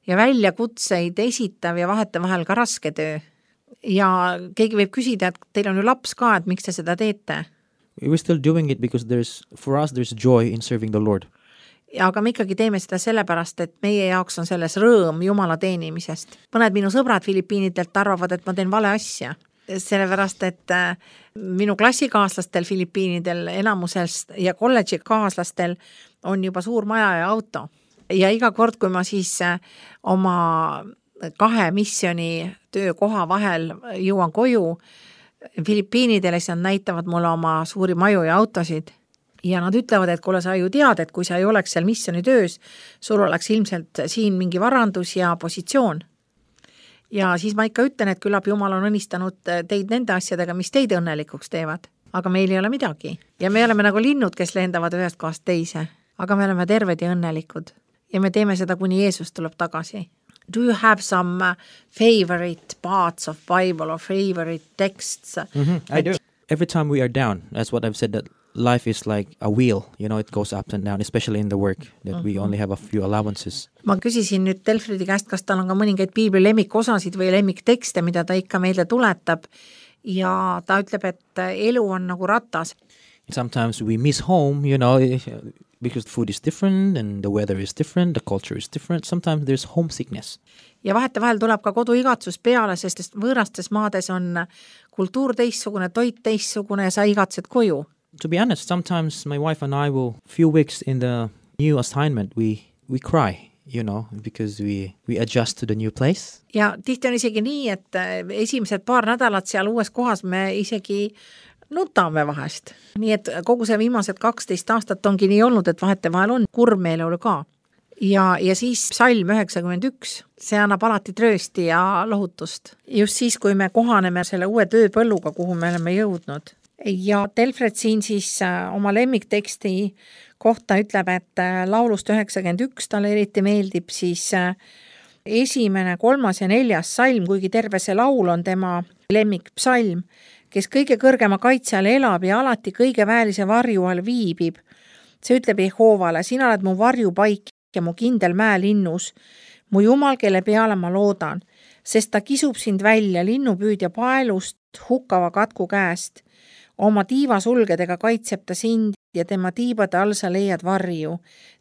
ja väljakutseid esitav ja vahete vahel ka raske töö. Ja keegi võib küsida, et teil on ju laps ka, et miks te seda teete? We're still doing it because there's, for us there's joy in serving the Lord. Ja aga me ikkagi teeme seda sellepärast, et meie jaoks on selles rõõm Jumala teenimisest. Mõned minu sõbrad Filipiinidelt arvavad, et ma teen vale asja. Sellepärast, et minu klassikaaslastel Filipiinidel enamusest ja kolledži kaaslastel on juba suur maja ja auto. Ja iga kord, kui ma siis oma kahe missioni töökoha vahel jõuan koju Filipiinidele, siis nad näitavad mulle oma suuri maju ja autosid. Ja nad ütlevad, et kuule, sa ju tead, et kui sa ei oleks seal missioni töös, sul oleks ilmselt siin mingi varandus ja positsioon. Ja siis ma ikka ütlen, et küllap Jumal on õnnistanud teid nende asjadega, mis teid õnnelikuks teevad. Aga meil ei ole midagi. Ja me oleme nagu linnud, kes lendavad ühest kohast teise. Aga me oleme terved ja õnnelikud. Ja me teeme seda, kuni Jeesus tuleb tagasi. Do you have some favorite parts of Bible or favorite texts? Mm-hmm, I do. Every time we are down, that's what I've said, that life is like a wheel, you know, it goes up and down, especially in the work, that mm-hmm. we only have a few allowances. Ma küsisin nüüd Delfridi käest, kas tal on ka mõningaid piibli lemmikosasid või lemmiktekste, mida ta ikka meile tuletab, ja ta ütleb, et elu on nagu ratas. Sometimes we miss home, you know, because the food is different and the weather is different, the culture is different. Sometimes there's homesickness. Ja vahete vahel tuleb ka koduigatsus peale, sest võõrastes maades on kultuur teissugune, toit teissugune ja sa igatsed koju. To be honest, sometimes my wife and I will, few weeks in the new assignment, we, we cry, you know, because we, we adjust to the new place. Ja tihti on isegi nii, et esimesed paar nädalat seal uues kohas me isegi nutame vahest. Nii et kogu see viimased kaksteist aastat ongi nii olnud, et vahete vahel on kurb meeleolu ka. Ja, ja siis Psalm üheksakümmend üks, see annab alati tröösti ja lohutust. Just siis, kui me kohaneme selle uue tööpõlluga, kuhu me oleme jõudnud. Ja Delfred siin siis oma lemmikteksti kohta ütleb, et laulust üheksakümmend üks talle eriti meeldib siis esimene, kolmas ja neljas salm, kuigi terve see laul on tema lemmikpsalm, kes kõige kõrgema kaitse all elab ja alati kõige väelise varju all viibib. See ütleb Jehoovale, sina oled mu varjupaik ja mu kindel mäelinnus, mu Jumal, kelle peale ma loodan, sest ta kisub sind välja linnupüüdja paelust hukkava katku käest. Oma tiivasulgedega kaitseb ta sind ja tema tiibade all sa leiad varju.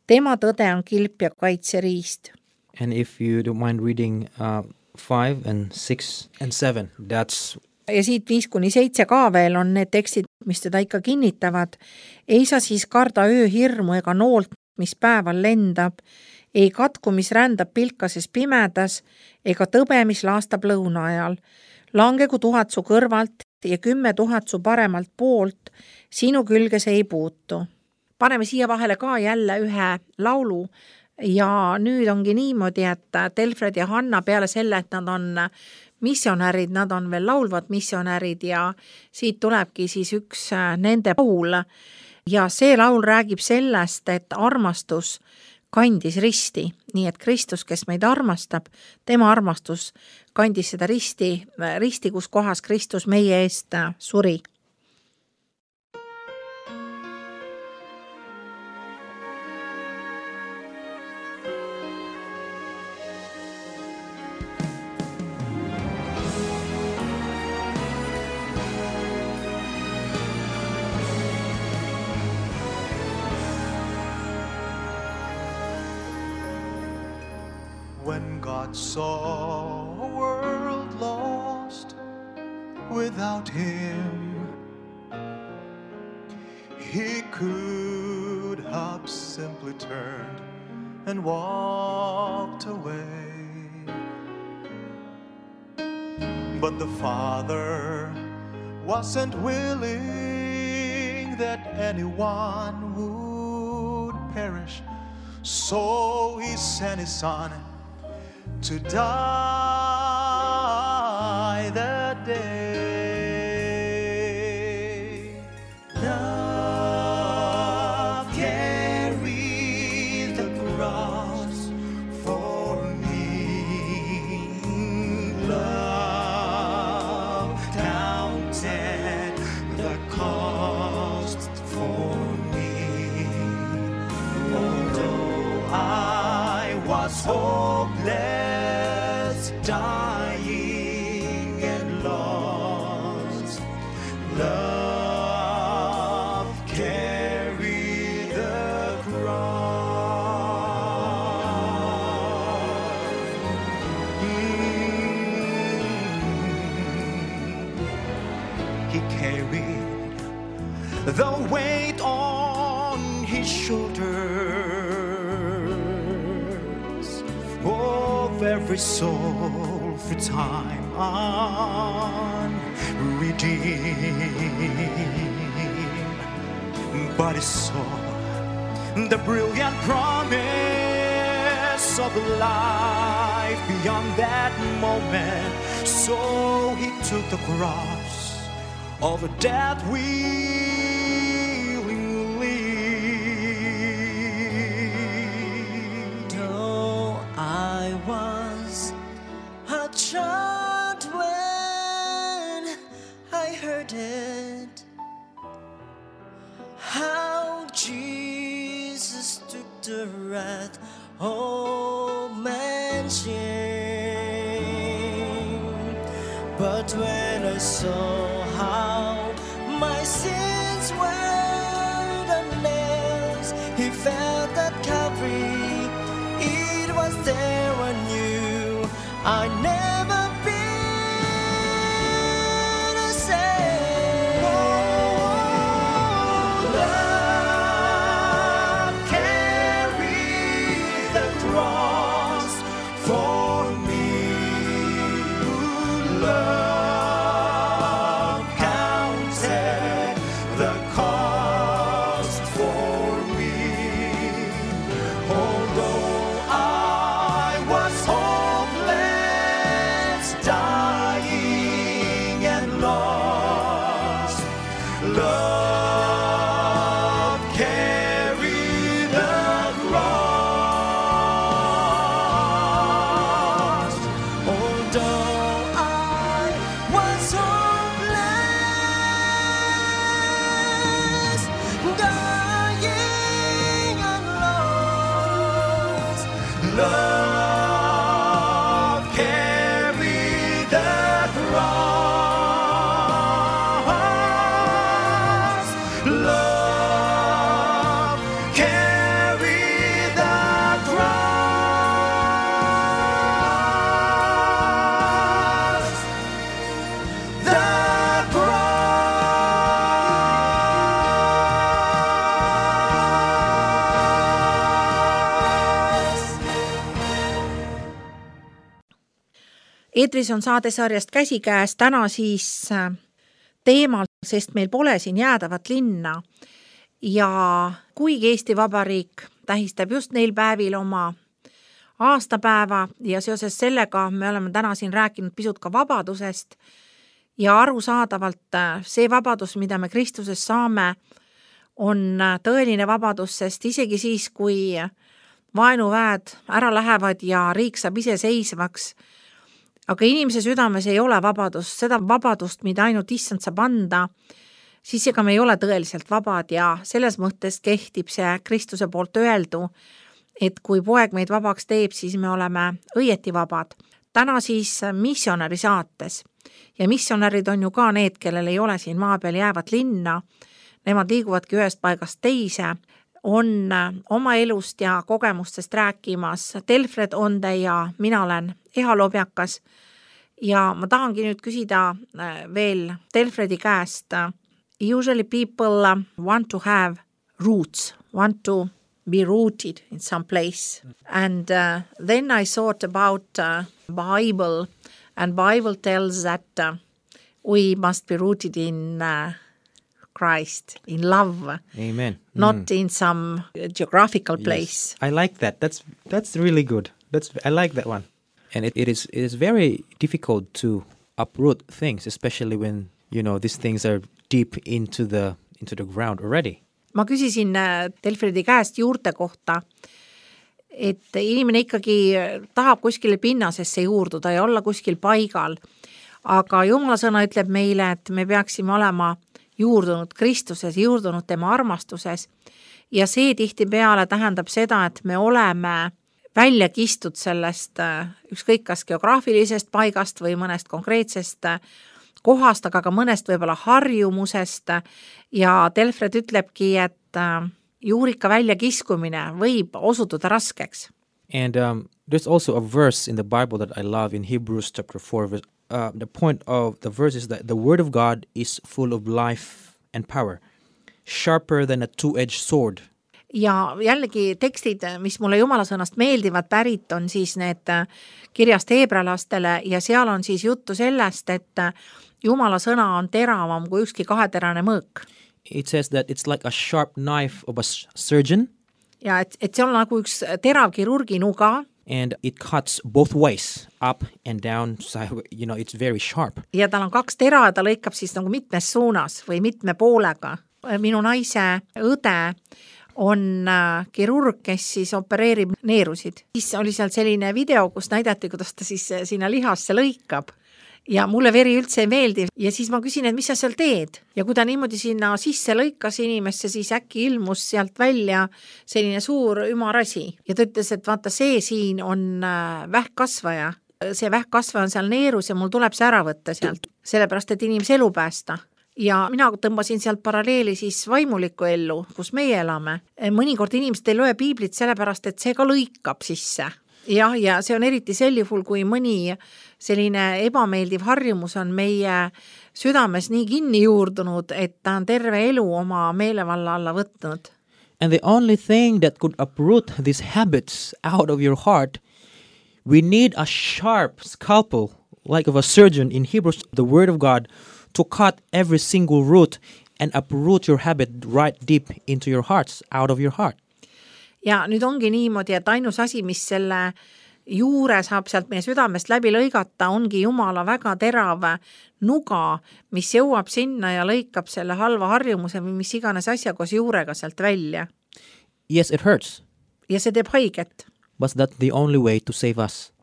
Tema tõde on kilp ja kaitseriist. And if you don't mind reading uh, five and six and seven, that's Ja siit viis kuni seitse ka veel on need tekstid, mis teda ikka kinnitavad. Ei sa siis karda ööhirmu ega noolt, mis päeval lendab, ei katku, mis rändab pilkases pimedas, ega tõbe, mis laastab lõuna ajal. Langegu tuhat su kõrvalt ja kümme tuhat su paremalt poolt, sinu külge see ei puutu. Paneme siia vahele ka jälle ühe laulu ja nüüd ongi niimoodi, et Telfred ja Hanna peale selle, et nad on missionärid, nad on veel laulvad missionärid ja siit tulebki siis üks nende laul ja see laul räägib sellest, et armastus kandis risti, nii et Kristus, kes meid armastab, tema armastus kandis seda risti, risti, kus kohas Kristus meie eest suri. When God saw a world lost without him, he could have simply turned and walked away. But the Father wasn't willing that anyone would perish, so he sent his Son to die that day. Love carried the cross for me. Love counted the cost for me. Although I was hopeless, dying and lost, love carried the cross. Mm. He carried the weight on his shoulders of every soul for time unredeemed. But he saw the brilliant promise of life beyond that moment, so he took the cross of death willingly. Though I was a child when I heard it, how Jesus took the wrath of man's shame. But when I saw how my sins were the nails he felt at Calvary, it was there I knew I'd never be the same. Oh, love carried the cross for me. Love counted the cost for me. Although I was hopeless, dying and lost, love carried the cross. Although I was hopeless, dying and lost, love carried the cross. Love carried the cross. The Eetris on saadesarjast Käsikäes täna siis teemal, sest meil pole siin jäädavat linna ja kuigi Eesti Vabariik tähistab just neil päevil oma aastapäeva ja seoses sellega me oleme täna siin rääkinud pisut ka vabadusest ja arusaadavalt see vabadus, mida me Kristuses saame, on tõeline vabadus, sest isegi siis, kui vaenuväed ära lähevad ja riik saab iseseisvaks, aga inimese südames ei ole vabadust, seda vabadust, mida ainult issand saab anda, siis ega me ei ole tõeliselt vabad ja selles mõttes kehtib see Kristuse poolt öeldu, et kui poeg meid vabaks teeb, siis me oleme õieti vabad. Täna siis missionäri saates ja missionärid on ju ka need, kellel ei ole siin maa peal jäävat linna, nemad liiguvadki ühest paigast teise, on oma elust ja kogemustest rääkimas Telfred Onde ja mina olen Eha Lobjakas ja ma tahangi nüüd küsida veel Telfredi käest. Usually people want to have roots, want to be rooted in some place. And uh, then I thought about uh, Bible and Bible tells that uh, we must be rooted in uh, Christ, in love. Amen. Not Mm. in some geographical place. Yes. I like that. That's that's really good. That's I like that one. And it, it is it is very difficult to uproot things, especially when, you know, these things are deep into the into the ground already. Ma küsisin Telfredi käest juurte kohta, et inimene ikkagi tahab kuskile pinnasesse juurduda ja olla kuskil paigal, aga Jumala sõna ütleb meile, et me peaksime olema juurdunud Kristuses, juurdunud tema armastuses ja see tihtipeale tähendab seda, et me oleme välja kistud sellest ükskõik kas geograafilisest paigast või mõnest konkreetsest kohast, aga ka mõnest võib-olla harjumusest ja Telfred ütlebki, et juurika välja kiskumine võib osutuda raskeks. And um, there's also a verse in the Bible that I love in Hebrews chapter four. Uh, the point of the verse is that the word of God is full of life and power, sharper than a two-edged sword. Ja jällegi tekstid, mis mulle Jumala sõnast meeldivad pärit, on siis need kirjast heebrealastele ja seal on siis juttu sellest, et Jumala sõna on teravam kui ükski kaheterane mõõk. It says that it's like a sharp knife of a surgeon. Ja et, et see on nagu üks terav kirurgi nuga. And it cuts both ways, up and down, so, you know, it's very sharp. Ja tal on kaks tera ja ta lõikab siis nagu mitmes suunas või mitme poolega. Minu naise õde on kirurg, kes siis opereerib neerusid. Siis oli seal selline video, kus näidati, kuidas ta siis sinna lihasse lõikab. Ja mulle veri üldse ei meeldi ja siis ma küsin, et mis sa seal teed? Ja kui ta niimoodi sinna sisse lõikas inimesse, siis äkki ilmus sealt välja selline suur ümarasi. Ja ta ütles, et vaata see siin on vähkkasvaja. See vähkkasvaja on seal neerus ja mul tuleb see ära võtta sealt, sellepärast et inimese elu päästa. Ja mina tõmbasin sealt paralleeli siis vaimulikku ellu, kus meie elame. Mõnikord inimesed ei loe piiblit sellepärast, et see ka lõikab sisse. Jah, ja see on eriti sel juhul, kui mõni selline ebameeldiv harjumus on meie südames nii kinni juurdunud, et ta on terve elu oma meelevalla alla võtnud. And the only thing that could uproot these habits out of your heart, we need a sharp scalpel, like of a surgeon in Hebrews, the word of God, to cut every single root and uproot your habit right deep into your hearts, out of your heart. Ja nüüd ongi niimoodi, et ainus asi, mis selle juure saab sealt meie südamest läbi lõigata, ongi Jumala väga terav nuga, mis jõuab sinna ja lõikab selle halva harjumuse või mis iganes asja koos juurega sealt välja. Yes, it hurts. Ja see teeb haiget. But that's the only way to save us.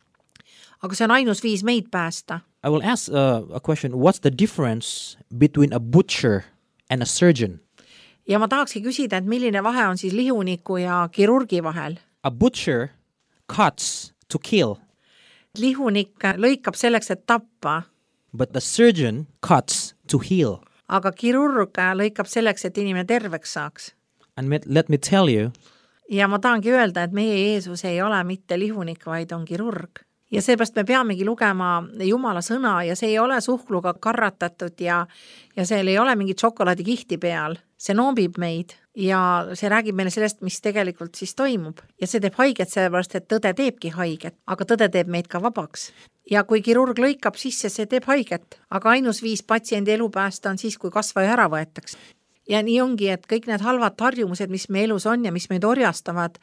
Aga see on ainus viis meid päästa. I will ask uh, a question. What's the difference between a butcher and a surgeon? Ja ma tahakski küsida, et milline vahe on siis lihuniku ja kirurgi vahel? A butcher cuts to kill. Lihunik lõikab selleks, et tappa. But the surgeon cuts to heal. Aga kirurg lõikab selleks, et inimene terveks saaks. And let me tell you. Ja ma tahangi öelda, et meie Jeesus ei ole mitte lihunik, vaid on kirurg. Ja seepärast me peamegi lugema Jumala sõna ja see ei ole suhkluga karratatud ja, ja seal ei ole mingi šokolaadi kihti peal. See noobib meid ja see räägib meile sellest, mis tegelikult siis toimub. Ja see teeb haiget sellepärast, et tõde teebki haiget, aga tõde teeb meid ka vabaks. ja kui kirurg lõikab sisse, see teeb haiget, aga ainus viis patsiendi elu päästa on siis, kui kasvaja ära võetakse. Ja nii ongi, et kõik need halvad harjumused, mis me elus on ja mis meid orjastavad,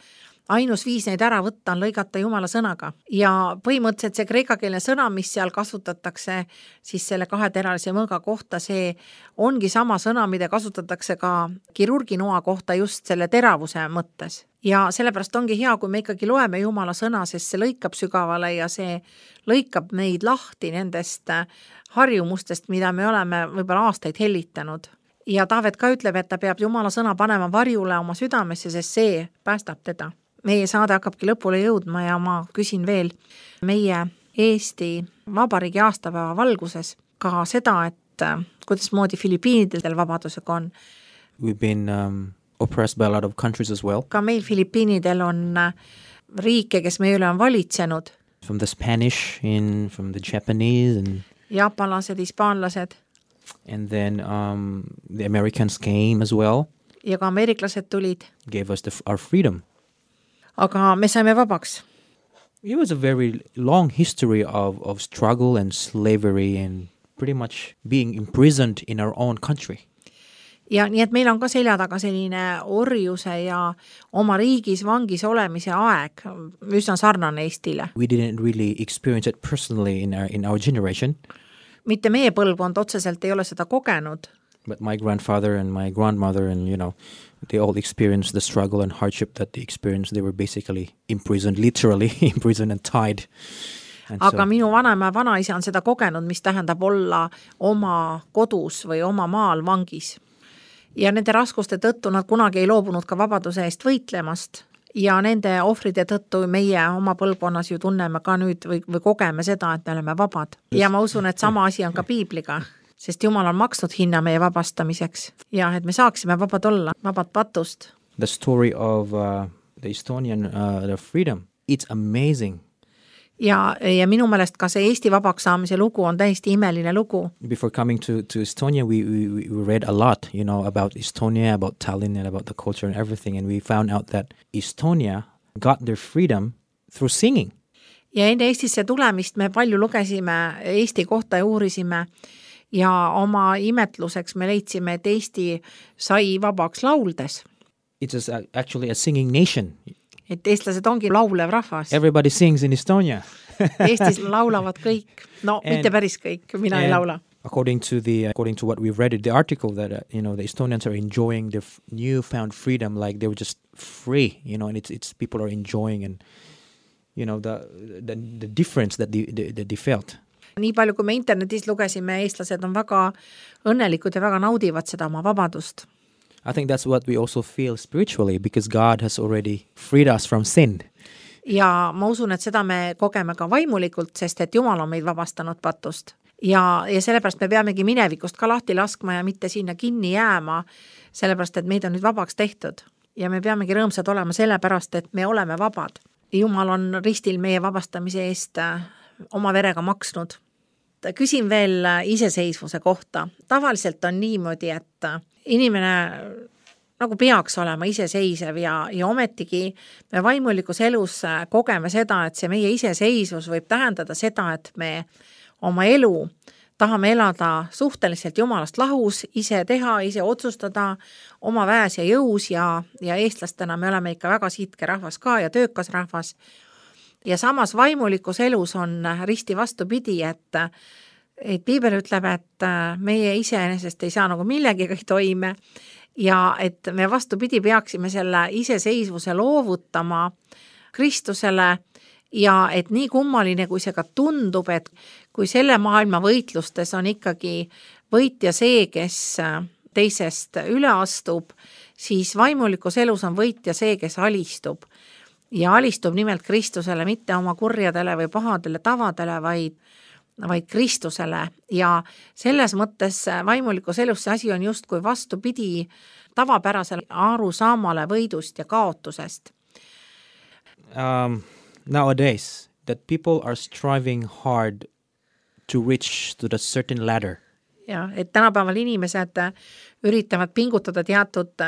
ainus viis neid ära võtta on lõigata Jumala sõnaga. Ja põhimõtteliselt see kreekakeelne sõna, mis seal kasutatakse siis selle kaheteralise mõõga kohta, see ongi sama sõna, mida kasutatakse ka kirurginoa kohta just selle teravuse mõttes. Ja sellepärast ongi hea, kui me ikkagi loeme Jumala sõna, sest see lõikab sügavale ja see lõikab meid lahti nendest harjumustest, mida me oleme võib-olla aastaid hellitanud. Ja Taavet ka ütleb, et ta peab Jumala sõna panema varjule oma südamesse, sest see päästab teda. Meie saade hakkabki lõpule jõudma ja ma küsin veel meie Eesti Vabariigi aastapäeva valguses ka seda, et kuidas moodi Filipiinidel vabadusega on. We've been um, oppressed by a lot of countries as well. Ka meil Filipiinidel on riike, kes meie üle on valitsenud. From the Spanish, in, from the Japanese. And jaapanlased, hispaanlased. And then um, the Americans came as well. Ja ka ameeriklased tulid. Gave us the, our freedom. Aga me saime vabaks. It was a very long history of, of struggle and slavery and pretty much being imprisoned in our own country. Ja nii, et meil on ka selja taga selline orjuse ja oma riigis vangis olemise aeg, üsna sarnane Eestile. We didn't really experience it personally in our, in our generation. Mitte meie põlvkond otseselt ei ole seda kogenud. But my grandfather and my grandmother and, you know, they all experienced the struggle and hardship that they experienced. They were basically imprisoned, literally imprisoned and tied. And Aga so, minu vanaema ja vanaisa on seda kogenud, mis tähendab olla oma kodus või oma maal vangis. Ja nende raskuste tõttu nad kunagi ei loobunud ka vabaduse eest võitlemast. Ja nende ohvride tõttu meie oma põlvkonnas ju tunneme ka nüüd või, või kogeme seda, et me oleme vabad. Ja ma usun, et sama asi on ka Piibliga. Sest Jumal on maksnud hinna meie vabastamiseks ja et me saaksime vabad olla, vabad patust. The story of uh, the Estonian uh, the freedom, it's amazing. Ja, ja minu meelest ka see Eesti vabaks saamise lugu on täiesti imeline lugu. Before coming to, to Estonia, we, we, we read a lot, you know, about Estonia, about Tallinn and about the culture and everything. And we found out that Estonia got their freedom through singing. Ja enne Eestisse tulemist me palju lugesime Eesti kohta ja uurisime. Ja oma imetluseks me leidsime, et Eesti sai vabaks lauldes. It is actually a singing nation. Et eestlased ongi laulev rahvas. Everybody sings in Estonia. Eestis laulavad kõik. No, and, mitte päris kõik, mina ei laula. According to the according to what we've read in the article that uh, you know the Estonians are enjoying their f- newfound freedom, like they were just free, you know, and it's it's people are enjoying and you know the the, the difference that they, they, they felt. Nii palju, kui me internetis lugesime, eestlased on väga õnnelikud ja väga naudivad seda oma vabadust. I think that's what we also feel spiritually because God has already freed us from sin. Ja ma usun, et seda me kogeme ka vaimulikult, sest et Jumal on meid vabastanud patust. Ja, ja sellepärast me peamegi minevikust ka lahti laskma ja mitte sinna kinni jääma, sellepärast et meid on nüüd vabaks tehtud. Ja me peamegi rõõmsad olema sellepärast, et me oleme vabad. Jumal on ristil meie vabastamise eest oma verega maksnud. Küsin veel iseseisvuse kohta. Tavaliselt on niimoodi, et inimene nagu peaks olema iseseisev ja, ja ometigi me vaimulikus elus kogeme seda, et see meie iseseisvus võib tähendada seda, et me oma elu tahame elada suhteliselt Jumalast lahus, ise teha, ise otsustada oma väes ja jõus ja, ja eestlastena me oleme ikka väga siitke rahvas ka ja töökas rahvas. Ja samas vaimulikus elus on risti vastupidi, et, et Piibel ütleb, et meie iseenesest ei saa nagu millegiga toime ja et me vastupidi peaksime selle iseseisvuse loovutama Kristusele ja et nii kummaline, kui see ka tundub, et kui selle maailma võitlustes on ikkagi võitja see, kes teisest üle astub, siis vaimulikus elus on võitja see, kes alistub. Ja alistub nimelt Kristusele, mitte oma kurjadele või pahadele tavadele, vaid, vaid Kristusele. Ja selles mõttes vaimulikus elus see asi on just kui vastupidi tavapärasele arusaamale võidust ja kaotusest. Um, nowadays, that people are striving hard to reach to the certain ladder. Ja, et tänapäeval inimesed üritavad pingutada teatud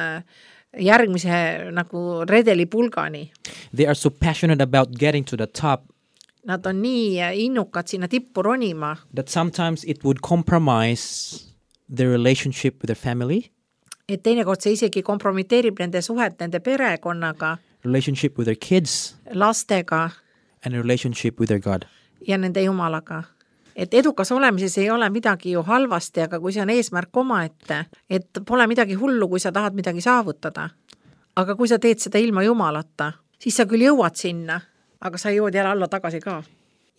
järgmise nagu redeli pulgani. They are so passionate about getting to the top Nad on nii innukad sinna tippu ronima, that sometimes it would compromise their relationship with their family, et teinekord see isegi kompromiteerib nende suhet nende perekonnaga, relationship with their kids, lastega and a relationship with their God. ja nende Jumalaga. Et edukas olemises ei ole midagi ju halvasti, aga kui see on eesmärk omaette, et pole midagi hullu, kui sa tahad midagi saavutada. Aga kui sa teed seda ilma Jumalata, siis sa küll jõuad sinna, aga sa jõuad jälle alla tagasi ka.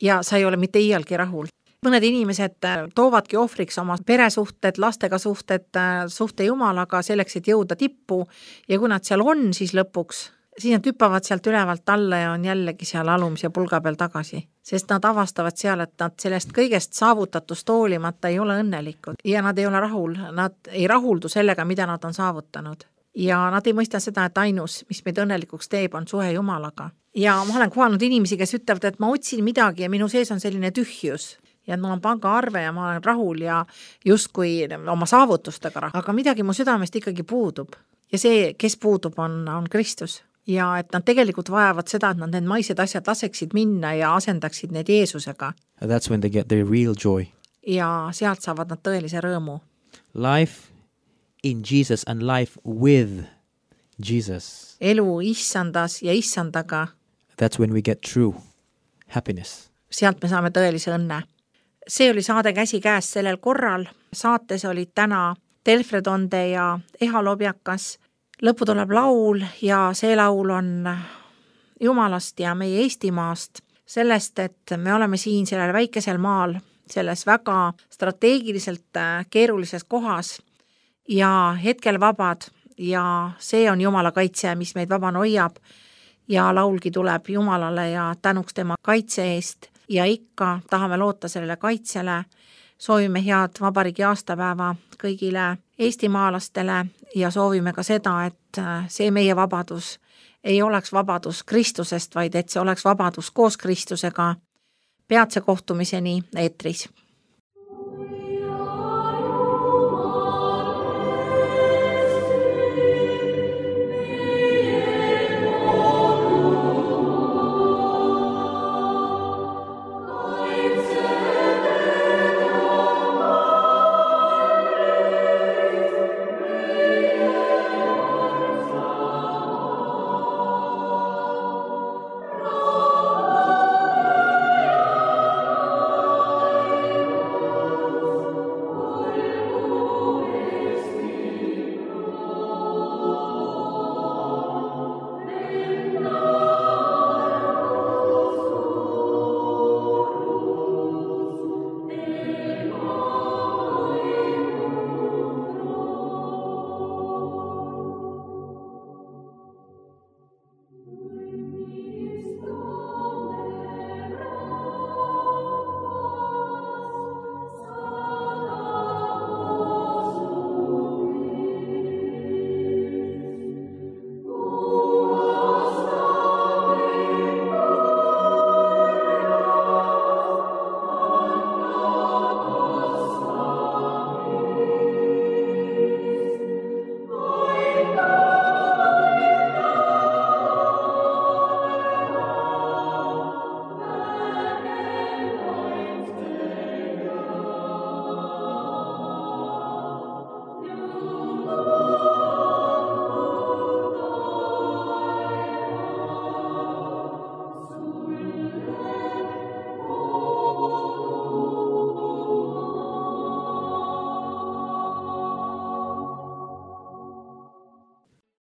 Ja sa ei ole mitte iialgi rahul. Mõned inimesed toovadki ohvriks oma peresuhted, lastega suhted, suhte Jumalaga selleks, et jõuda tippu ja kui nad seal on, siis lõpuks siis nad hüppavad sealt ülevalt alla ja on jällegi seal alumise pulga peal tagasi. Sest nad avastavad seal, et nad sellest kõigest saavutatust hoolimata ei ole õnnelikud ja nad ei ole rahul, nad ei rahuldu sellega, mida nad on saavutanud. Ja nad ei mõista seda, et ainus, mis meid õnnelikuks teeb, on suhe Jumalaga. Ja ma olen kohanud inimesi, kes ütlevad, et ma otsin midagi ja minu sees on selline tühjus. Ja mul on pangaarve ja ma olen rahul ja justkui oma saavutustega, aga midagi mu südamest ikkagi puudub. Ja see, kes puudub, on, on Kristus. Ja et nad tegelikult vajavad seda, et nad need maised asjad laseksid minna ja asendaksid need Jeesusega. And that's when they get their real joy. Ja sealt saavad nad tõelise rõõmu. Life in Jesus and life with Jesus. Elu issandas ja issandaga. That's when we get true happiness. Sealt me saame tõelise õnne. See oli saade Käsi käes sellel korral. Saates olid täna Telfredonde ja Eha Lobjakas. Lõppu tuleb laul ja see laul on Jumalast ja meie Eestimaast. Sellest, et me oleme siin sellel väikesel maal, selles väga strateegiliselt keerulises kohas ja hetkel vabad ja see on Jumala kaitse, mis meid vabana hoiab ja laulgi tuleb Jumalale ja tänuks tema kaitse eest ja ikka tahame loota sellele kaitsele. Soovime head vabariigi aastapäeva kõigile eestimaalastele ja soovime ka seda, et see meie vabadus ei oleks vabadus Kristusest, vaid et see oleks vabadus koos Kristusega. Peatse kohtumiseni eetris.